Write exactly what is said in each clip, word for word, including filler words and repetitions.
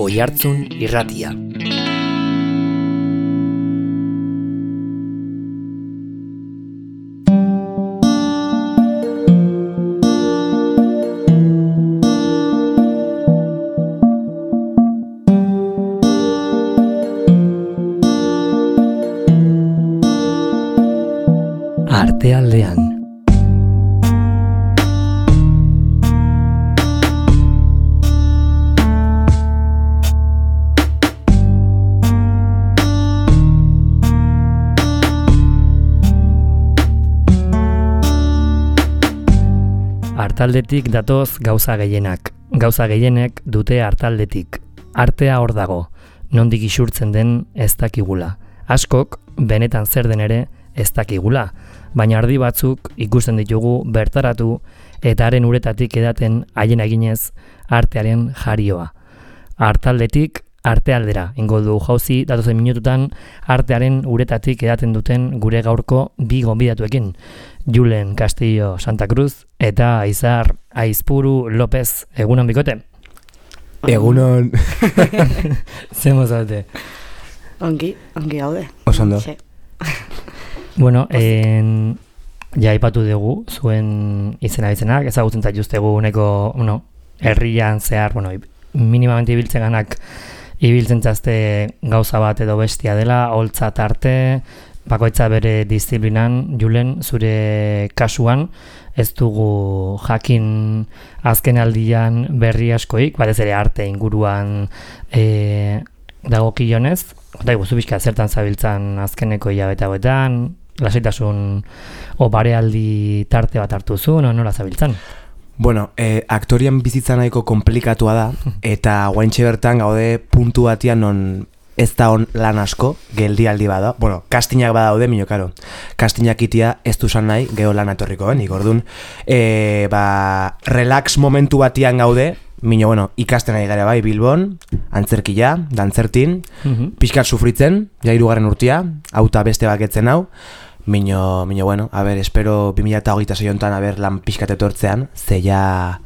Oihartzun Irratia. Artealdean. Artaldetik datoz gauza gehienak. Gauza gehienek dute artaldetik. Artea hor dago, nondik isurtzen den ez dakigula. Askok, benetan zer den ere ez dakigula, baina ardi batzuk ikusten ditugu bertaratu eta haren uretatik edaten haien eginez artearen jarioa. Artaldetik artealdera, ingo du jauzi datozen minututan artearen uretatik edaten duten gure gaurko bi gonbidatuekin. Julen Castillo Santa Cruz eta Izar Aizpuru López. Egunon bikote? Egunon. Zemo zaute? Ongi, ongi gaude. Osondo. Bueno, en, ja aipatu dugu zuen izena izenak, ezagutzen zaituztegu uneko, bueno, herrian zehar, bueno, minimamente ibiltzen ganak ibiltzen zazte gauza bat edo bestia dela, holtza tarte, bakoitza bere disiplinan. Julen, zure kasuan, ez dugu jakin azken aldian berri askoik, batez ere arte inguruan e, dagokionez, eta guzu bizka zertan zabiltzan azkeneko hilabete hauetan, lasaitasun o barealdi tarte bat hartu zu, no, nola zabiltzan? Bueno, eh, aktorian bizitza nahiko komplikatua da, eta guaintxe bertan gaude puntu batian non ez da on lan asko, geldialdi bada. Bueno, kastinak badaude, mino karo. Kastinak itia ez duzan nahi, geho lan atorriko ben, ikordun. E, ba, relax momentu batian gaude, mino, bueno, ikasten ari gara bai, Bilbon, antzerkia, dantzertin, mm-hmm. Pixkat sufritzen, ja hirugarren urtia, auta beste baketzen hau, Mino, mino, bueno, a ver, espero bi mila hogeita sei hontan, a ver, lan pixkat etortzean, ze ja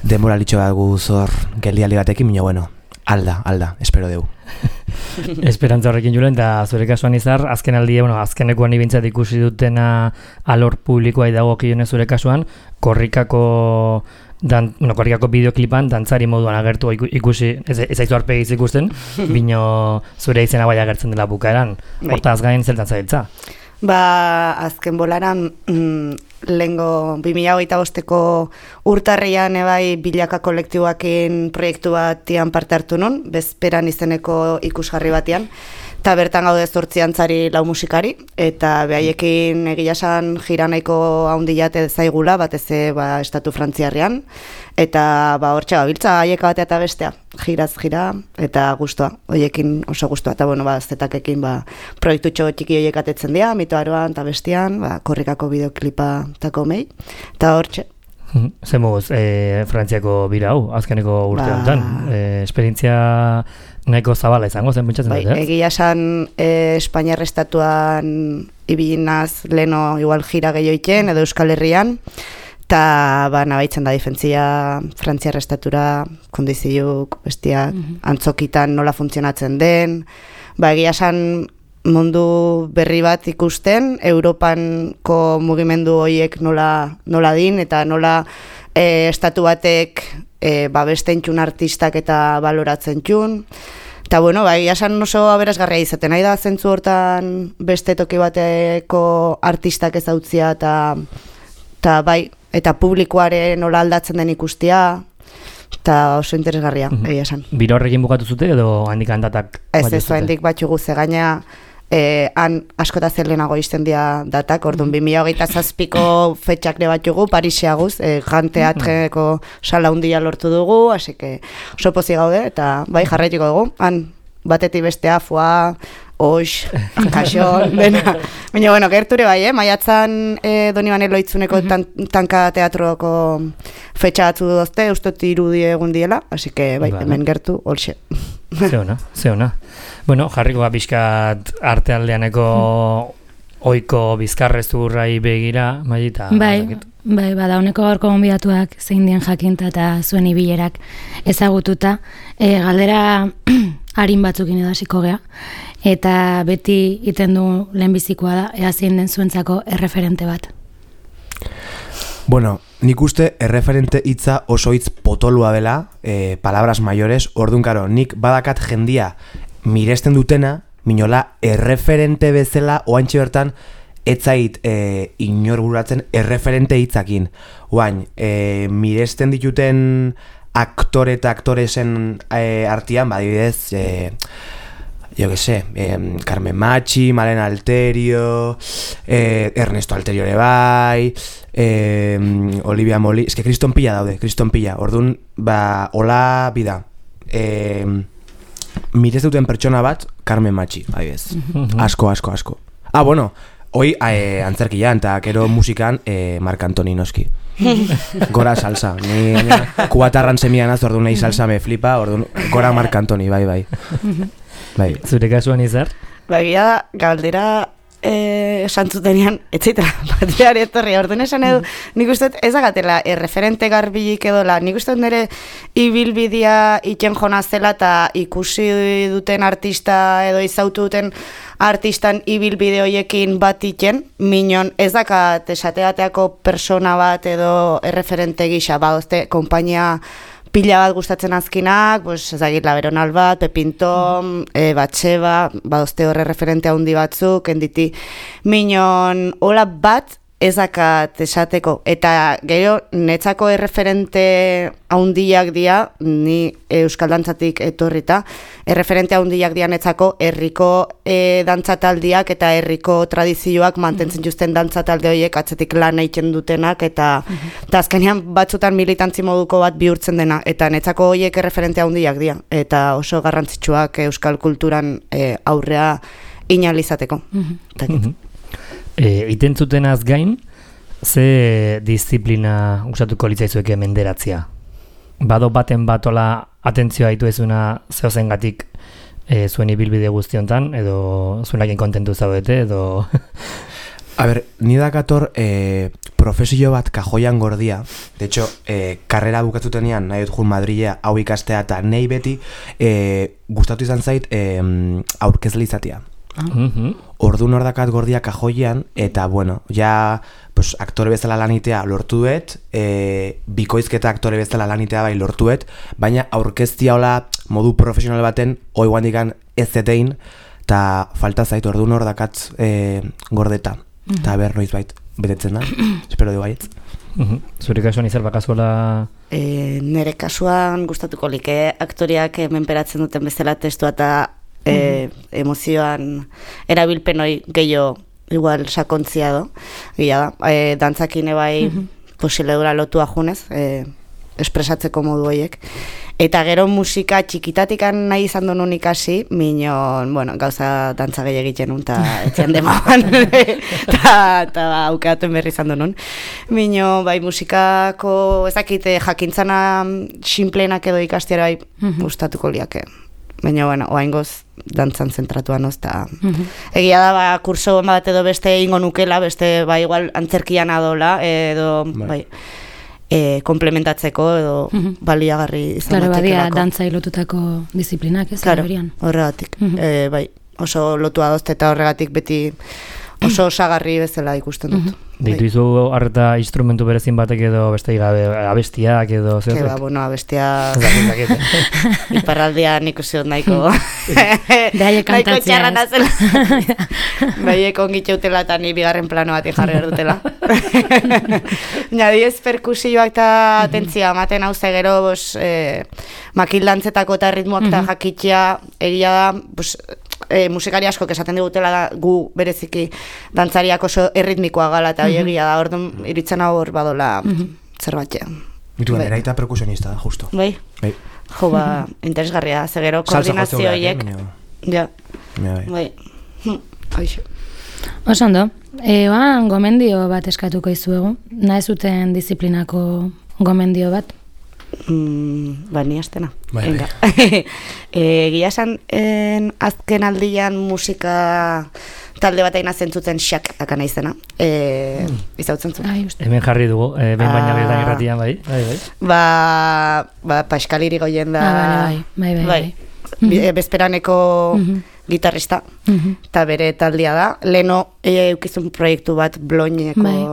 denbora litxo bat guzor geldialdi batekin, mino, bueno, alda, alda, espero deu. Esperantza horrekin Julen, eta zure kasuan Izar, azken aldi, bueno, azkenekoan ibintzat ikusi dutena alor publikoa idago kionez zure kasuan, korrikako Dan, bueno, korrikako bideoklipan dantzari moduan agertu ikusi, ez, ez aizu arpegiz ikusten, bino zure izena bai agertzen dela bukaeran. Hortaz gain zeltan zabiltza? Ba, azken bolaran, mm, lehengo bi mila hogeita bosteko urtarrian ebai bilaka kolektiboakin proiektu batian parte hartu nun, bezperan izeneko ikusgarri batian, eta bertan gaude zortzi antzari lau musikari, eta behaiekin egia esan jira nahiko haundilate zaigula, batez ba, estatu frantziarrean, eta ba, hortxe gabiltza haieka batea eta bestea, jiraz jira, eta guztua, hoiekin oso guztua, eta bueno, ba, zetakekin ba, proiektutxo txiki hoiek atetzen dira, mitoaroan eta bestian, ba, korrikako bideoklipa tako mei, eta hortxe. Zemuz, e, Frantziako bira hau, azkeneko urte ba... honetan, e, esperientzia nahiko zabala izango zen pentsatzen bai, dut, eh? Egia esan e, Espainiar estatuan ibilinaz leno igual jira gehioiken edo Euskal Herrian, eta ba, nabaitzen da difentzia Frantziar estatura, kondiziuk, bestiak, mm-hmm. antzokitan nola funtzionatzen den, ba, egia esan mundu berri bat ikusten, Europanko mugimendu horiek nola, nola din, eta nola e, estatu batek e, babesten txun artistak eta baloratzen txun. Eta bueno, bai, esan oso aberasgarria izaten, nahi da zentzu hortan beste toki bateko artistak ezautzia, eta, eta bai, eta publikoaren nola aldatzen den ikustia, eta oso interesgarria, mm-hmm. egia esan. Biro horrekin bukatu zute edo handik handatak? Ez ez, handik batxugu ze gaina, Eh, han askota zer lehenago izten dira datak, orduan bi mila hogeita zazpiko fetxakre bat jugu, Pariseaguz, eh, Gran Teatreko sala hundia lortu dugu, así que oso pozik gaude, eta bai jarraituko dugu, han batetik bestea, foa, oix, kaxon, dena. Baina, bueno, gerture bai, eh? Maiatzan eh, Donibane Loitzuneko tan, tanka teatroko fetxa batzu duzte, ustot irudi egun diela, así que bai, vale. Hemen gertu, holxe. Ze ona, ze ona. Bueno, jarriko bizkat artealdeaneko oiko bizkarrezurrai begira, Maita. Bai, Bai, bada, honeko gaurko gonbidatuak zein dien jakinta eta zuen ibilerak ezagututa. E, galdera harin batzukin edo hasiko gea. Eta beti iten du lehenbizikoa da, ea zein den zuentzako erreferente bat. Bueno, nik uste erreferente hitza oso hitz potolua dela, e, palabras mayores, orduan karo, nik badakat jendia miresten dutena, minola erreferente bezala, oaintxe bertan, etzait e, inor buratzen erreferente hitzakin. Oain, e, miresten dituten aktore eta aktoresen e, artian, badibidez, e, yo que sé, eh, Carmen Machi, Malena Alterio, eh, Ernesto Alterio ere bai, eh, Olivia Molina, es que Kriston Pilla daude, Kriston Pilla, orduan, ba, hola bida, eh, mirez duten pertsona bat, Carmen Machi, bai bez, asko, asko, asko. Ah, bueno, hoi eh, antzerkian, eta gero musikan, eh, Marc Antoni noski. Gora salsa, ni kubatarran semian az, orduan nahi salsa me flipa, orduan, gora Marc Antoni, bai, bai. Bai. Zure kasuan izar? Bagia da, galdera eh, santzutenian, etxeitela, bateari etorri, orduan esan edo, nik uste ez agatela, erreferente garbilik edola, nik uste nire ibilbidea iken jona zela eta ikusi duten artista edo izautu duten artistan ibilbide hoiekin bat iken, minon ez dakat esateateako persona bat edo erreferente gisa, ba, ozte, kompainia pila bat gustatzen azkinak, pues, ezagit, Laberonal bat, Pepintom, e, Batxeba, badozte horre referente handi batzuk, enditi, minon, hola bat, ezakat esateko, eta gero, netzako erreferente haundiak dia, ni euskal dantzatik etorrita, erreferente haundiak dia netzako, herriko e, dantzataldiak eta herriko tradizioak mantentzen justen dantzatalde horiek atzetik lan egiten dutenak, eta eta azkenean batzutan militantzi moduko bat bihurtzen dena, eta netzako horiek erreferente haundiak dia, eta oso garrantzitsuak euskal kulturan e, aurrea inalizateko. Mm-hmm. E, iten zutenaz gain, ze disiplina usatuko litzaizueke menderatzia? Bado baten batola atentzioa ditu ezuna zehozengatik e, zuen ibilbide guztiontan, edo zuenakin kontentu zaudete, edo... A ber, ni dakator eh, profesio bat kajoian gordia. De hecho, eh, karrera bukatzutenean nahi dut jun Madrilea hau ikastea eta nahi beti eh, gustatu izan zait eh, aurkezle izatea. Uh-huh. Orduan hor dakat gordia kajoian, eta bueno, ja pues, aktore bezala lanitea lortu dut, e, bikoizketa aktore bezala lanitea bai lortu dut, baina aurkeztia hola modu profesional baten hoi guandikan ez zetein, eta falta zait orduan hor dakat e, gordeta, eta uh-huh. ber noiz bait betetzen da, espero du baietz. Uh-huh. Zure kasuan izan bakazuela... E, nere kasuan gustatuko like aktoriak menperatzen duten bezala testua eta E, emozioan erabilpen hori gehiago igual sakontzia do gila da, e, dantzakine bai uh-huh. posiledura lotua junez e, espresatzeko modu horiek eta gero musika txikitatikan nahi izan duen ikasi minon, bueno, gauza dantza gehi egiten nun eta etxean demaban eta aukeatuen berri izan duen minon, bai musikako ezakite jakintzana sinpleenak edo ikastiara bai uh-huh. gustatuko liake. Baina, bueno, oaingoz dantzan zentratua noz, eta uh-huh. egia da, ba, kurso bat edo beste ingo nukela, beste, ba, igual, antzerkian adola, edo, bai, bai e, komplementatzeko, edo uh-huh. baliagarri izan claro, batekelako. Claro, badia dantza ilotutako disiplinak, ez? Claro, horregatik, uh-huh. e, bai, oso lotua dozte eta horregatik beti oso osagarri bezala ikusten dut. Uh-huh. Deitu izu harreta instrumentu berezin batek edo beste gabe abestiak edo zer? Keba, bueno, abestiak... Iparraldean ikusi dut nahiko... Behaie kantatzea. Nahiko txarra nazela. Behaie kongitxe utela eta ni bigarren plano bat jarri erdutela. Nadiez perkusioak eta atentzia ematen hau gero, bos, eh, makildantzetako eta ritmoak eta jakitxea egia da, bos, E, musikari asko esaten digutela da, gu bereziki dantzariak oso erritmikoa gala eta mm-hmm. egia da, orduan iritzen hau hor badola mm-hmm. zerbatzea. Mitu, bai. Eraita perkusionista da, justo. Bai? Bai. Jo, ba, interesgarria, zegero koordinazio horiek. Ja, bai. Bai. Aixo. Oso ondo, e, oan gomendio bat eskatuko izuegu, nahi zuten disiplinako gomendio bat? Mm, ba, ni astena. Bai, bai. Egia esan, azken aldian musika talde bat aina zentzuten xak dakana izena. E, mm. Izautzen zuen. Ai, uste. Hemen jarri dugu, eh, behin baina Ah. betan irratian, bai. bai, bai. Ba, ba Paskaliri goien da... Ah, bai, bai, bai, bai. Bi- e, bezperaneko Mhm. gitarrista, Mhm. eta bere taldea da. Leno e, eukizun proiektu bat bloineko... Bai.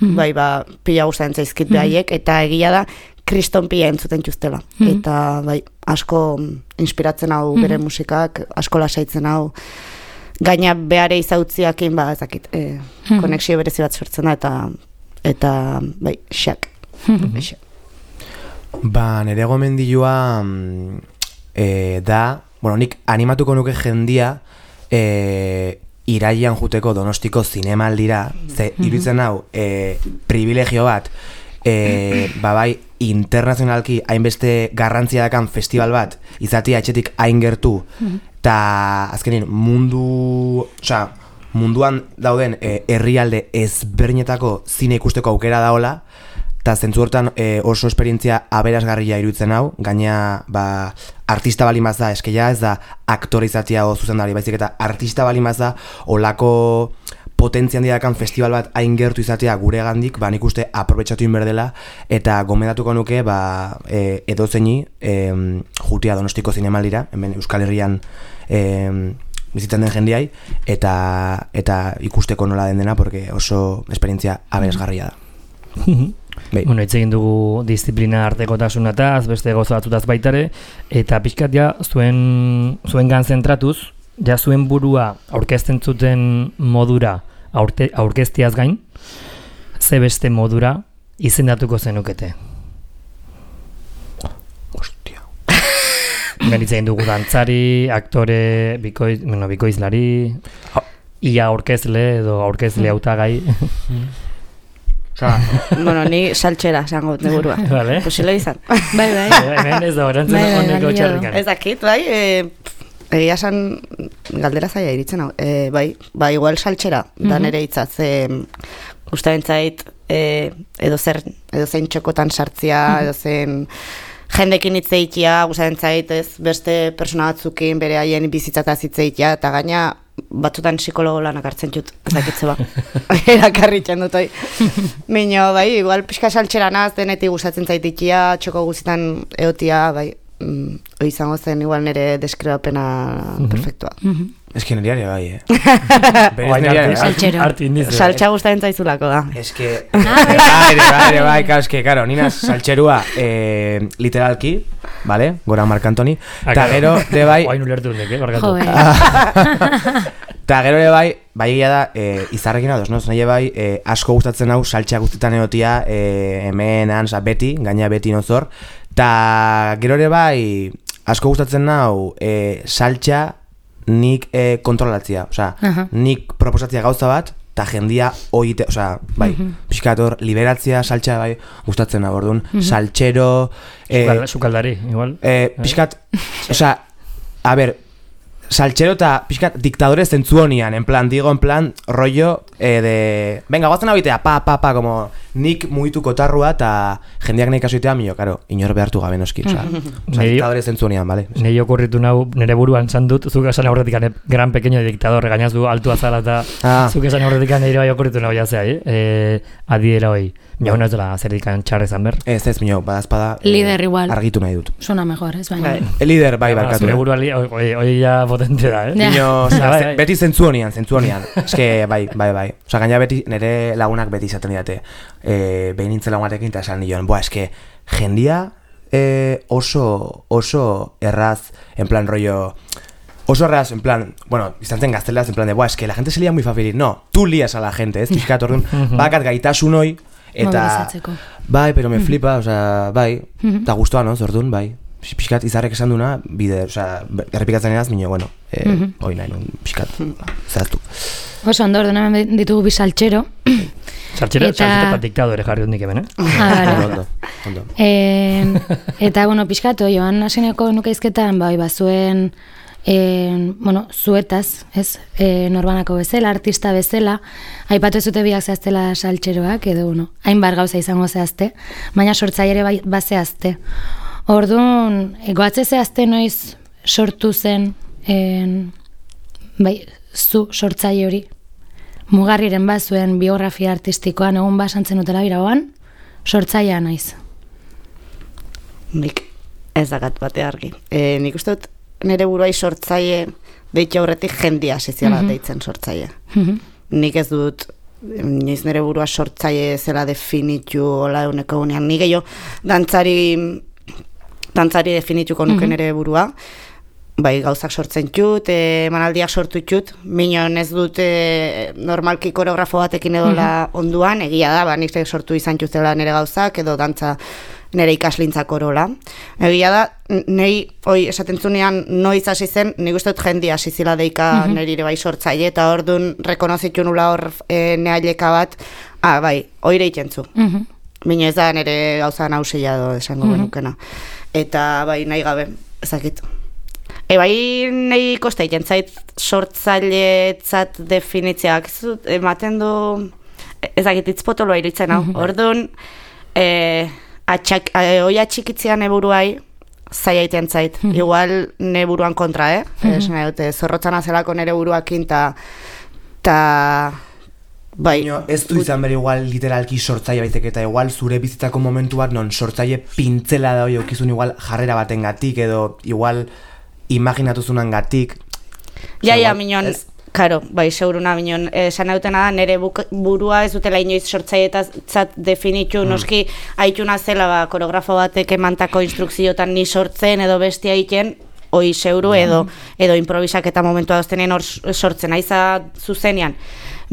Mhm. Bai, ba, pila guztaren zaizkit behaiek, eta egia da, kriston pila entzuten txustela. Mhm. Eta, bai, asko inspiratzen hau bere musikak, asko lasaitzen hau, gaina behare izautziakin, ba, ezakit, e, Mhm. konexio berezi bat sortzen da, eta, eta bai, xak. Mhm. Xak. Ba, nire gomendioa mm, e, da, bueno, nik animatuko nuke jendia e, iraian juteko Donostiko zinemaldira, ze iruditzen hau e, privilegio bat, e, ba bai, internazionalki hainbeste garrantzia dakan festival bat, izatea etxetik hain gertu, eta azkenin mundu, osea, munduan dauden e, herrialde ezberdinetako zine ikusteko aukera daola, eta zentzu hortan e, oso esperientzia aberasgarria iruditzen hau, gaina ba, artista balimaz da, eskeia ez da aktore izatea o zuzendari, baizik eta artista balimaz da olako potentzia handiakan festival bat hain gertu izatea gure gandik, ba nik uste aprobetxatu inberdela, eta gomendatuko nuke ba, e, edozeini e, jutia Donostiko zinemaldira, hemen Euskal Herrian e, bizitzen den jendiai, eta, eta ikusteko nola den dena, porque oso esperientzia aberasgarria da. Bai. Bueno, hitz egin dugu disiplina artekotasunataz, beste gauza batzutaz baitare, eta pixkat ja zuen, zuen gan zentratuz, ja zuen burua aurkezten zuten modura aurte, aurkeztiaz gain, ze beste modura izendatuko zenukete. Ostia. Ben hitz egin dugu dantzari, aktore, bikoiz, bueno, bikoizlari, ia aurkezle edo aurkezle hautagai. Osa, Bueno, ni saltxera esango dut neburua. Vale. Posible izan. Bai, bai. Hemen ez da orantzen Bai, bai, honeko balio. txarrikan. Ez dakit, bai, e, egia esan galdera zaila iritzen hau. E, bai, ba, igual saltxera, da nere hitzaz. E, Gustaren zait, e, edo zer, edo zein txokotan sartzia, edo zein jendekin hitz egitea, gustaren zait, ez, beste persona batzukin bere haien bizitzataz hitz egitea, eta gaina batzutan psikologo lanak hartzen jut, ezakitze ba. Erakarritzen dut, oi. Mino, bai, igual pixka saltxera naz, denetik gustatzen zaitikia, txoko guztietan eotia, bai, mm, hoi izango zen igual nire deskribapena perfektua. eski niriari bai, eh? Berez Oain niriari arte- bai. Saltxero. Arte indize. Saltxa gustaren zaizulako da. Es que, bai, bai, bai, claro, es que, claro, nina saltxerua eh, literalki, vale, gora Marc Antoni, Ah, eta claro. gero, de bai, Oain ulertu nik, eh, barkatu. Jo, eh. eta gero de bai, bai egia da, eh, izarrekin ados, no? Nahi bai, eh, asko gustatzen hau saltxa guztietan egotia, eh, hemen, hansa, beti, gaina beti nozor, eta gero ere bai, asko gustatzen hau, eh, saltxa nik eh, kontrolatzia, osea, Aha. nik proposatzia gauza bat, eta jendia oite, osea, bai, pixkator, liberatzia, saltxa, bai, gustatzen hau, orduan, saltxero, eh, Sukal- Sukaldari, igual. eh, pixkat, osea, a ber, saltxero eta pixkat diktadore zentzu honian, en plan, digo, en plan, rollo eh, de... Venga, guazen abitea, pa, pa, pa, como nik mugituko tarrua eta jendeak nahi kasuitea, mio, karo, inor behartu gabe noski, osea, osea Neri- diktadore zentzu honian, bale? Nei okurritu nau, nire buruan zan dut, zuk esan aurretik ane, gran pequeño dictador, gainaz du altu azala eta Ah. zuk esan aurretik nire bai okurritu nau jazea, eh? E, adiera hoi. Mio, no ez dela zerdikan txarre zan ber. Ez, ez, mio, badazpada... eh, Lider igual. Argitu nahi dut. Suena mejor, ez baina. Bai. El líder, bai, barkatu. Zure eh. buruan, li- hoi hoi ja potente da, eh? Ja. Mio, osea, Bai, ze- bai. beti zentzu honian, zentzu honian. Eske, bai, bai, bai. Osea, gaina beti, nire lagunak beti izaten didate. Eh, behin nintzen lagunatekin eta esan nion, boa, eske, jendia eh, oso, oso erraz, en plan rollo... Oso erraz, en plan, bueno, izan zen gazteleraz, en plan de, boa, eske, la gente se lía muy fácil. No, tú lías a la gente, ez? Pixkat, orduan, bakat gaitasun hoi, eta... Mobilizatzeko. Bai, pero me flipa, osea, bai, eta gustoa, no, zordun, bai. Pixkat izarrek esan duna, bide, osea, errepikatzen eraz, minio, bueno, eh, hoi nahi nun, pixkat, zehaztu. Oso, ondo, orduan hemen ditugu bi saltxero. Saltxera, Eta- saltxera eta diktadore jarri dut nik hemen, eh? Ah, vale. Ondo, ondo. E, eta, bueno, pixkatu, joan hasineko nukeizketan, bai, bazuen, e, bueno, zuetaz, ez, e, norbanako bezala, artista bezala, aipatu ez dute biak zehaztela saltxeroak, edo, bueno, hainbar gauza izango zehazte, baina sortzaile bai, bazehazte. Orduan, goatze zehazte noiz sortu zen, en, bai, zu sortzaile hori? Mugarriren bat zuen biografia artistikoan egun basantzen utela biragoan, sortzailea naiz. Nik ez dakat bate argi. E, nik uste dut nire buruai sortzaile deitu aurretik jendia asiziala mm-hmm. deitzen sortzaile. Mm-hmm. Nik ez dut niz nire burua sortzaile zela definitu hola eguneko gunean. Nik gehiago dantzari dantzari definituko nuke mm-hmm. nire burua. Bai, gauzak sortzen txut, e, manaldiak sortu txut, minon ez dut e, normalki koreografo batekin edola mm-hmm. onduan, egia da, ba, nik sortu izan txutela nire gauzak, edo dantza nire ikaslintzak orola. Egia da, nei, oi, esaten zunean noiz hasi zen, nik uste dut jendia hasi zila deika mm-hmm. nire bai sortzaile, eta orduan rekonozitu nula hor e, neaileka bat, ah, bai, oire ikentzu. Mm-hmm. Mino ez da nire gauza nauseia do esango mm-hmm. benukena. Eta bai, nahi gabe, ezakit. E bai, nahi kosta egiten zait sortzailetzat definitzeak, ematen du, ezakit itzpotoloa iruditzen hau. Mm-hmm. Orduan, e, atxak, e, oi atxikitzean eburuai zaila egiten zait. Mm-hmm. Igual neburuan kontra, eh? Mm-hmm. Es, nahi dute, zorrotzan azelako nire buruakin, ta, ta bai. No, ez du izan bere igual literalki sortzaile baitek eta igual zure bizitzako momentu bat non sortzaile pintzela da hoi aukizun igual jarrera batengatik edo igual imaginatuzunan gatik. Ja, ja, minon, karo, bai, seguruna, minon, esan dutena da, nire burua ez dutela inoiz sortzailetzat definitu, mm. noski, haituna zela, ba, koreografo batek emantako instrukziotan ni sortzen edo bestia egiten, oi seguru edo, edo improvisak eta momentua doztenen hor sortzen, aiza zuzenean.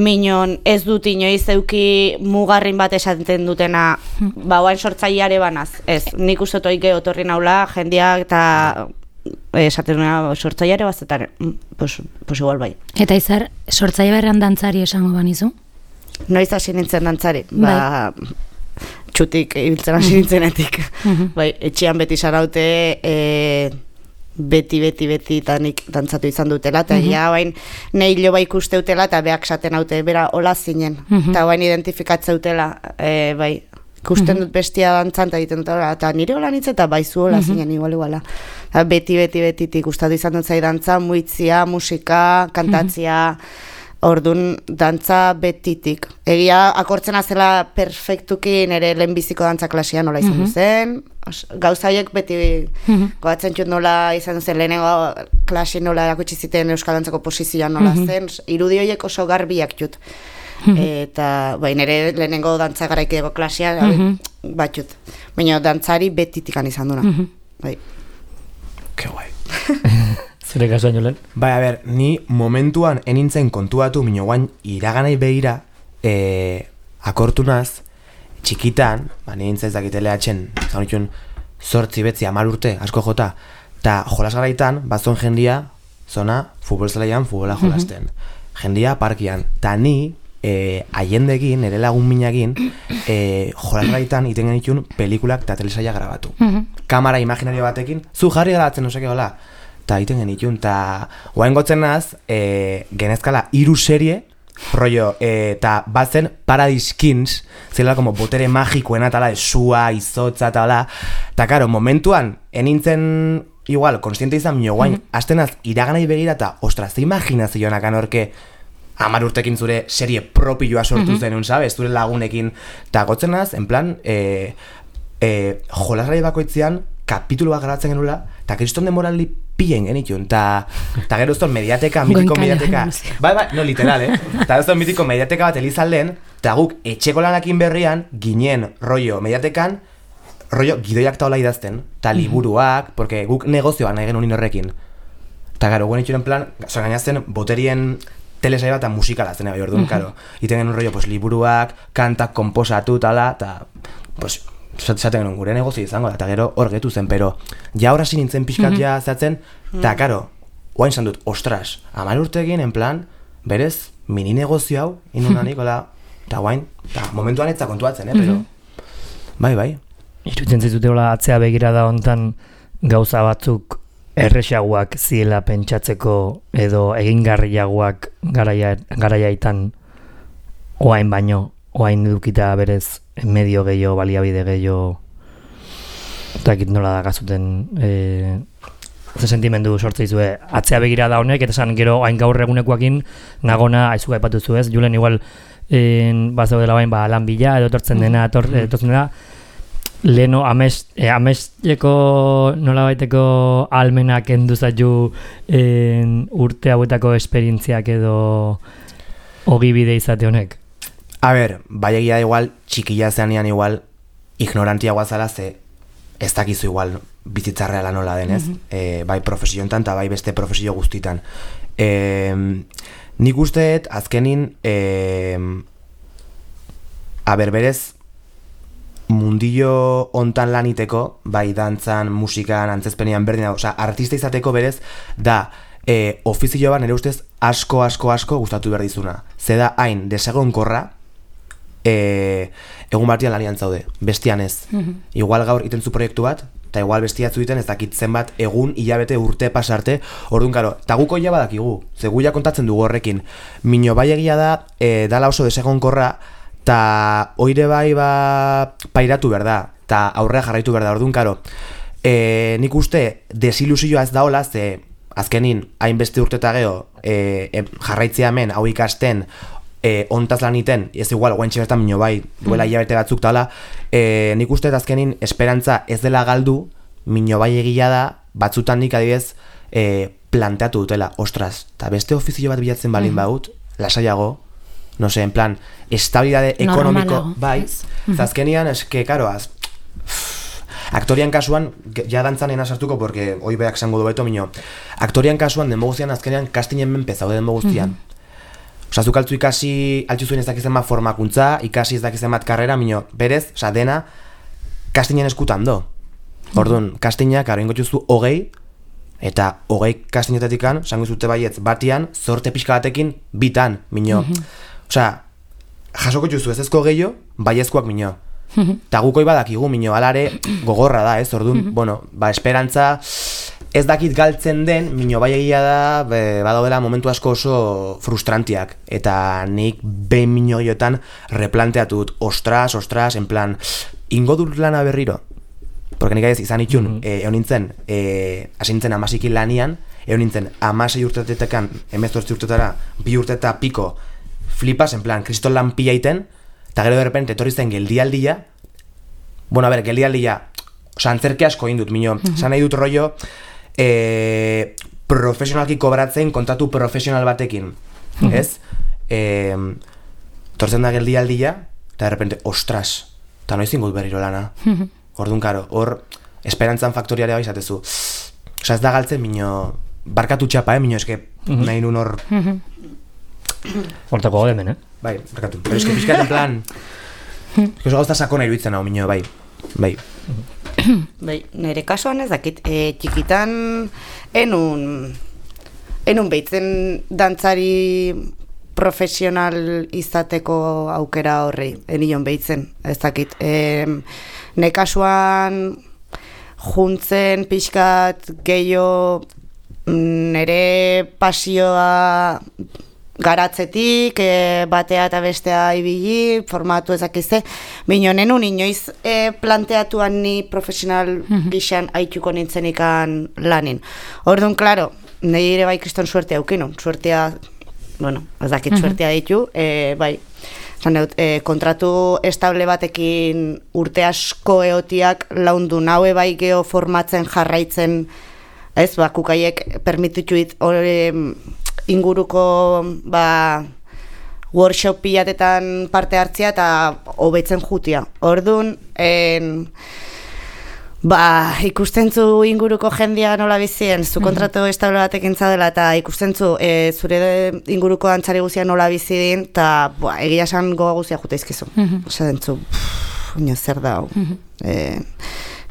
Minon, ez dut inoiz euki mugarrin bat esaten dutena, ba, oain sortzaileare banaz, ez, nik uste toike otorri naula, jendia eta esaten duena sortzaileare bazetare, pues, pues igual bai. Eta izar, sortzaile berran dantzari esango banizu? Noiz hasi nintzen dantzari, ba, txutik ibiltzen hasi nintzenetik. Bai, etxean beti saraute, e, beti, beti, beti tanik dantzatu izan dutela, eta ja, bain, nahi lo bai ikuste utela, eta beak saten haute, bera, hola zinen, eta bain identifikatze utela, e, bai, ikusten dut bestia dantzan, eta egiten dut, eta nire hola nintzen, eta baizu hola zinen, igual, iguala. Beti, beti, betitik gustatu izan dut zai dantza, muitzia, musika, kantatzia, orduan dantza betitik. Egia akortzen azela perfektuki nire lehenbiziko dantza klasia nola izan duzen, gauzaiek beti goatzen txut nola izan duzen, lehenengo klasi nola erakutsi ziten Euskal Dantzako posizioan nola zen, irudi horiek oso garbiak txut. Eta bai, nire lehenengo dantza garaikideko klasia batxut. Baina dantzari betitikan izan duna. Bai. Ke guai. Zure kasuan jolen? Bai, a ber, ni momentuan enintzen kontuatu, minio guain iraganai behira, e, akortunaz, txikitan, ba, nintzen ez dakitele atxen, zaunitxun, zortzi betzi, amar urte, asko jota, eta jolas garaitan, bazon jendia, zona, futbol zelaian, futbola jolasten. Jendia parkian, eta ni, e, aiendekin, ere lagun minagin, e, jolas garaitan iten genitun pelikulak eta telesaia grabatu. Kamara imaginario batekin, zu jarri grabatzen, osake gola, eta egiten genitun, eta guain gotzen naz, e, genezkala hiru serie, rollo, eta e, batzen Paradise Kings, zela como botere magikoena tala, esua, izotza tala, eta karo, momentuan, enintzen, igual, konstiente izan minio guain, mm-hmm. astenaz, iraganai begira, eta ostra, ze imaginazioanak anorke, hamar urtekin zure serie propioa sortu mm-hmm. zenun, sabes, zure lagunekin, eta gotzen naz, en plan, e, e, jolasgai bakoitzean, kapitulu bat garatzen genula, eta kriston demoraldi pillen genitun, eta gero uzton mediateka, mitiko mediateka, bai, bai, no, literal, eh? Eta uzton mitiko mediateka bat elizalden, eta guk etxeko lanakin berrian, ginen rollo mediatekan, rollo gidoiak taola idazten, eta liburuak, porque guk negozioan nahi genuen horrekin. Eta gero, guen itxuren plan, zoan gainazten, boterien telesai bat eta musikala zen, bai, orduan, karo. Iten genuen rollo, pues, liburuak, kantak, komposatu, tala, eta, pues, esaten genuen gure negozio izango da, eta gero hor getu zen, pero ja horra nintzen pixkat ja zehatzen, eta karo, oain zan dut, ostras, hamar urtekin, en plan, berez, mini negozio hau, inunanik, ola, eta oain, eta momentuan etza kontuatzen, eh, pero, bai, bai. Irutzen zaizute hola atzea begira da hontan gauza batzuk erresaguak ziela pentsatzeko edo egingarriagoak garaia, garaiaitan oain baino, oain edukita berez medio gehiago, baliabide gehiago, eta ekit nola da gazuten... E... ze sentimendu sortze izue, atzea begira da honek, eta esan gero hain gaur egunekoakin nagona aizuka aipatuzu ez, Julen igual en, bazau dela bain ba, lan bila, edo tortzen dena, etor, etortzen dena, leheno amest, eh, amesteko nola baiteko almenak enduzatu en, urte hauetako esperientziak edo ogibide izate honek? A ber, bai egia igual, txikila zeanean igual, ignorantia guazala ze ez dakizu igual bizitzarrea nola denez, mm-hmm. e, bai profesio enten eta bai beste profesio guztitan. E, nik usteet azkenin e, a ber berez mundillo hontan laniteko, bai dantzan, musikan, antzezpenean berdina, osea, artista izateko berez da e, ofizio bat nire ustez asko, asko, asko gustatu behar dizuna. Ze da hain desegonkorra, e, egun batian lanian zaude, bestian ez. Mm-hmm. Igual gaur iten zu proiektu bat, eta igual bestiatzu iten ez dakit zenbat egun, hilabete, urte pasarte, orduan karo, eta guko ja badakigu, ze guia kontatzen dugu horrekin. Mino bai egia da, e, dala oso desegonkorra, eta oire bai ba, pairatu behar da, eta aurrea jarraitu behar da, orduan karo. E, nik uste desilusioa ez daola, ze azkenin hainbeste urte eta geho e, e, jarraitzea hemen, hau ikasten, E, ontaz lan iten, ez igual, guaintxe bertan minio bai, duela hilabete batzuk tala, e, nik uste azkenin esperantza ez dela galdu, minio bai egia da, batzutan nik adibidez e, planteatu dutela, ostras, eta beste ofizio bat bilatzen balin baut, lasaiago, no sé, en plan, estabilidade ekonomiko, bai, zazkenian, eske, karo, az, aktorian kasuan, ja dantzan ena sartuko, porque hoi beak zango du beto, minio, aktorian kasuan, denbo guztian, azkenean, kastinen menpe zaude denbo guztian. Osa, zuk altzu ikasi, altzu zuen ez dakizen bat formakuntza, ikasi ez dakizen bat karrera, minio, berez, osa, dena, kastinen eskutan do. Orduan, kastinak, karo, ingotxuzu hogei, eta hogei kastinetatikan, sango zute baietz, batian, zorte pixka batekin, bitan, minio. Osa, jasoko juzu ez ezko gehiago, baiezkoak, minio. Eta gukoi badakigu, minio, alare, gogorra da, ez, orduan, bueno, ba, esperantza, ez dakit galtzen den, minio bai egia da, badaudela momentu asko oso frustrantiak. Eta nik behin minio gehiotan replanteatu dut, ostras, ostras, en plan, ingo dut lana berriro. Porque nik aiz izan itxun, mm-hmm. e, egon nintzen, e, asintzen amasikin lanian, egon nintzen amasei urtetetekan, emezortzi urtetara, bi urteta piko, flipas, en plan, kriston lan pila iten, eta gero de repente etorri zen geldialdia, bueno, a ber, geldialdia, oza, antzerke asko indut, minio, mm-hmm. zan nahi dut rollo, E, profesionalki kobratzen kontatu profesional batekin, mm-hmm. ez? E, tortzen da geldialdia, eta de repente, ostras, eta noiz ingut berriro lana. Mm-hmm. Orduan, karo, hor, esperantzan faktoriarea bai zatezu. Osa, ez da galtzen, minio, barkatu txapa, eh, minio, eske, mm-hmm. nahi nun hor... Hortako gode hemen, eh? Bai, barkatu. Pero eske pixkat en plan... eske oso gauzta sakona iruditzen hau, minio, bai. Bai. Bai, nire kasuan ez dakit, e, txikitan enun, enun behitzen dantzari profesional izateko aukera horri, enion behitzen, ez dakit. E, nire kasuan juntzen pixkat gehiago nire pasioa garatzetik, e, batea eta bestea ibili, formatu ezakizte, bino nenun inoiz e, planteatuan ni profesional gixan haituko nintzenikan lanin. Orduan, klaro, nire bai kriston suertea aukinu, suertea, bueno, ez dakit suertea ditu, e, bai, zan dut, e, kontratu estable batekin urte asko eotiak laundu naue bai geho formatzen jarraitzen, ez, ba, kukaiek permitituit hori inguruko ba, workshop pilatetan parte hartzea eta hobetzen jutia. Orduan, en, ba, ikustentzu inguruko jendia nola bizien, zu kontratu estable batekin zadela eta ikustentzu e, zure inguruko dantzari guzia nola bizidin, eta egia esan goga guzia jute izkizu. Osa dentzu, ino zer da hau. E,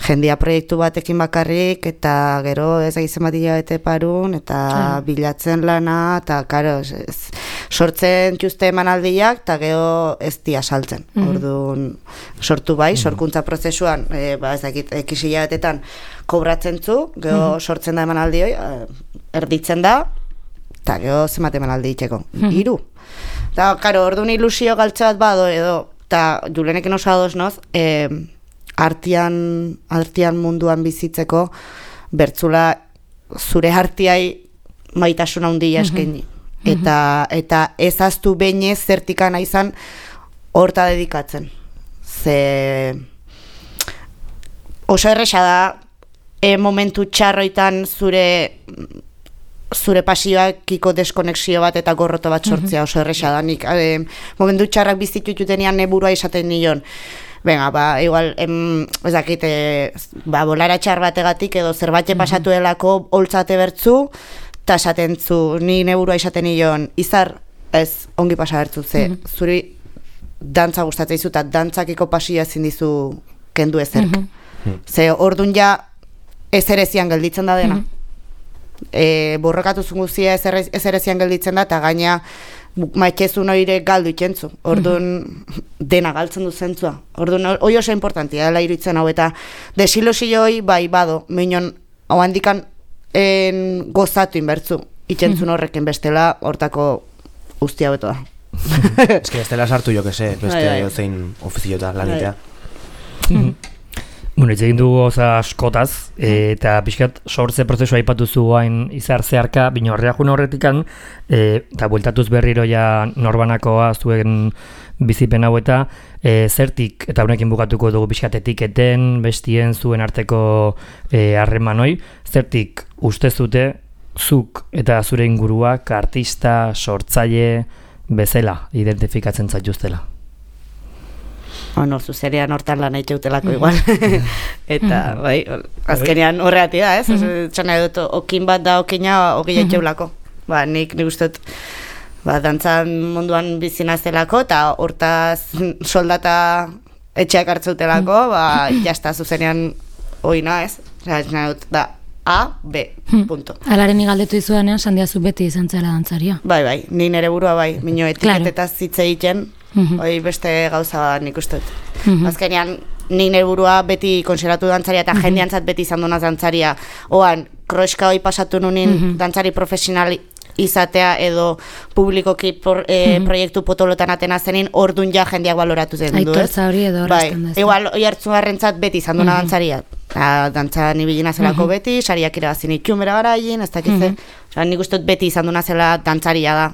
jendia proiektu batekin bakarrik, eta gero ez egizen bat hilabete parun, eta ah. bilatzen lana, eta karo, ez, sortzen txuste emanaldiak, eta gero ez dia saltzen. Mm-hmm. Orduan, sortu bai, mm-hmm. sorkuntza prozesuan, e, ba, ez dakit, ekisi hilabetetan kobratzen zu, gero mm-hmm. sortzen da emanaldi hoi, erditzen da, eta gero zenbat emanaldi itxeko, mm-hmm. hiru. Eta, karo, orduan ilusio galtze bat bado, edo, eta Julenekin oso ados noz, e, artian, artian munduan bizitzeko bertzula zure hartiai maitasuna handia eskaini. Eta, eta ezaztu behinez zertikana izan horta dedikatzen. Ze oso erresa da e, momentu txarroitan zure zure pasioakiko deskonexio bat eta gorroto bat sortzea oso erresa da. Nik e, momentu txarrak bizitututenian neburua izaten nion. Venga, ba, igual, em, ez dakit, e, ba, bolara txar bategatik edo zerbait pasatu delako holtzate bertzu, eta esaten zu, ni neburua izaten nion, izar, ez, ongi pasa bertzu, ze, mm -hmm. zuri dantza gustatzen dizu, eta dantzakiko pasioa ezin dizu kendu ezerk. Mm -hmm. Ze, ordun ja, ezerezian gelditzen da dena. Mm -hmm. e, borrokatu zunguzia ezerezian gelditzen da, eta gaina maitxezun oire galdu itxentzu. Orduan mm -hmm. dena galtzen du zentzua. Orduan, hoi oso importantia dela iruditzen hau, eta desilosio hoi, bai, bado, minon, hau handikan en gozatu inbertzu, itxentzun horrekin bestela, hortako guztia beto da. Ez que bestela sartu, jo que se, beste zein ofiziota lanitea. Bueno, hitz egin dugu oza askotaz, eta pixkat sortze prozesua aipatu zu hain izar zeharka, bino horreakun horretikan, eta bueltatuz berriro ja norbanakoa zuen bizipen hau eta e, zertik, eta honekin bukatuko dugu pixkat etiketen, bestien zuen arteko harremanoi, zertik uste zute zuk eta zure inguruak artista, sortzaile bezala identifikatzen zaituztela? Hor zuzerean hortan lan eitxeutelako igual. Eta, bai, azkenean horreati da, ez? Txana edut, okin bat da okina oki eitxeulako. Ba, nik nik uste ba, dantzan munduan bizina zelako, eta hortaz soldata etxeak hartzeutelako, ba, jazta zuzenean oina, ez? Txana edut, da, A, B, punto. Alaren igaldetu izudanean, sandiazu beti izan zela dantzaria. Bai, bai, ni nere burua bai, minio etiketetaz hitz egiten, hoi beste gauza nik uste dut. Azkenean, ni nere burua beti konsideratu dantzaria, eta jendeantzat beti izan dunaz dantzaria. Oan, kroeska hoi pasatu nunin dantzari profesional izatea edo publikoki por, e, proiektu potolotan atena zenin, ordun ja jendeak baloratu zen du, ez? Aitortza hori edo horrezten da. Bai, igual, hoi hartzu harrentzat beti izan duna dantzaria. Dantzan ibilina zelako beti, sariak irabazin itxun bera garaien, ez dakitze. Osa, nik uste beti izan duna zela dantzaria da.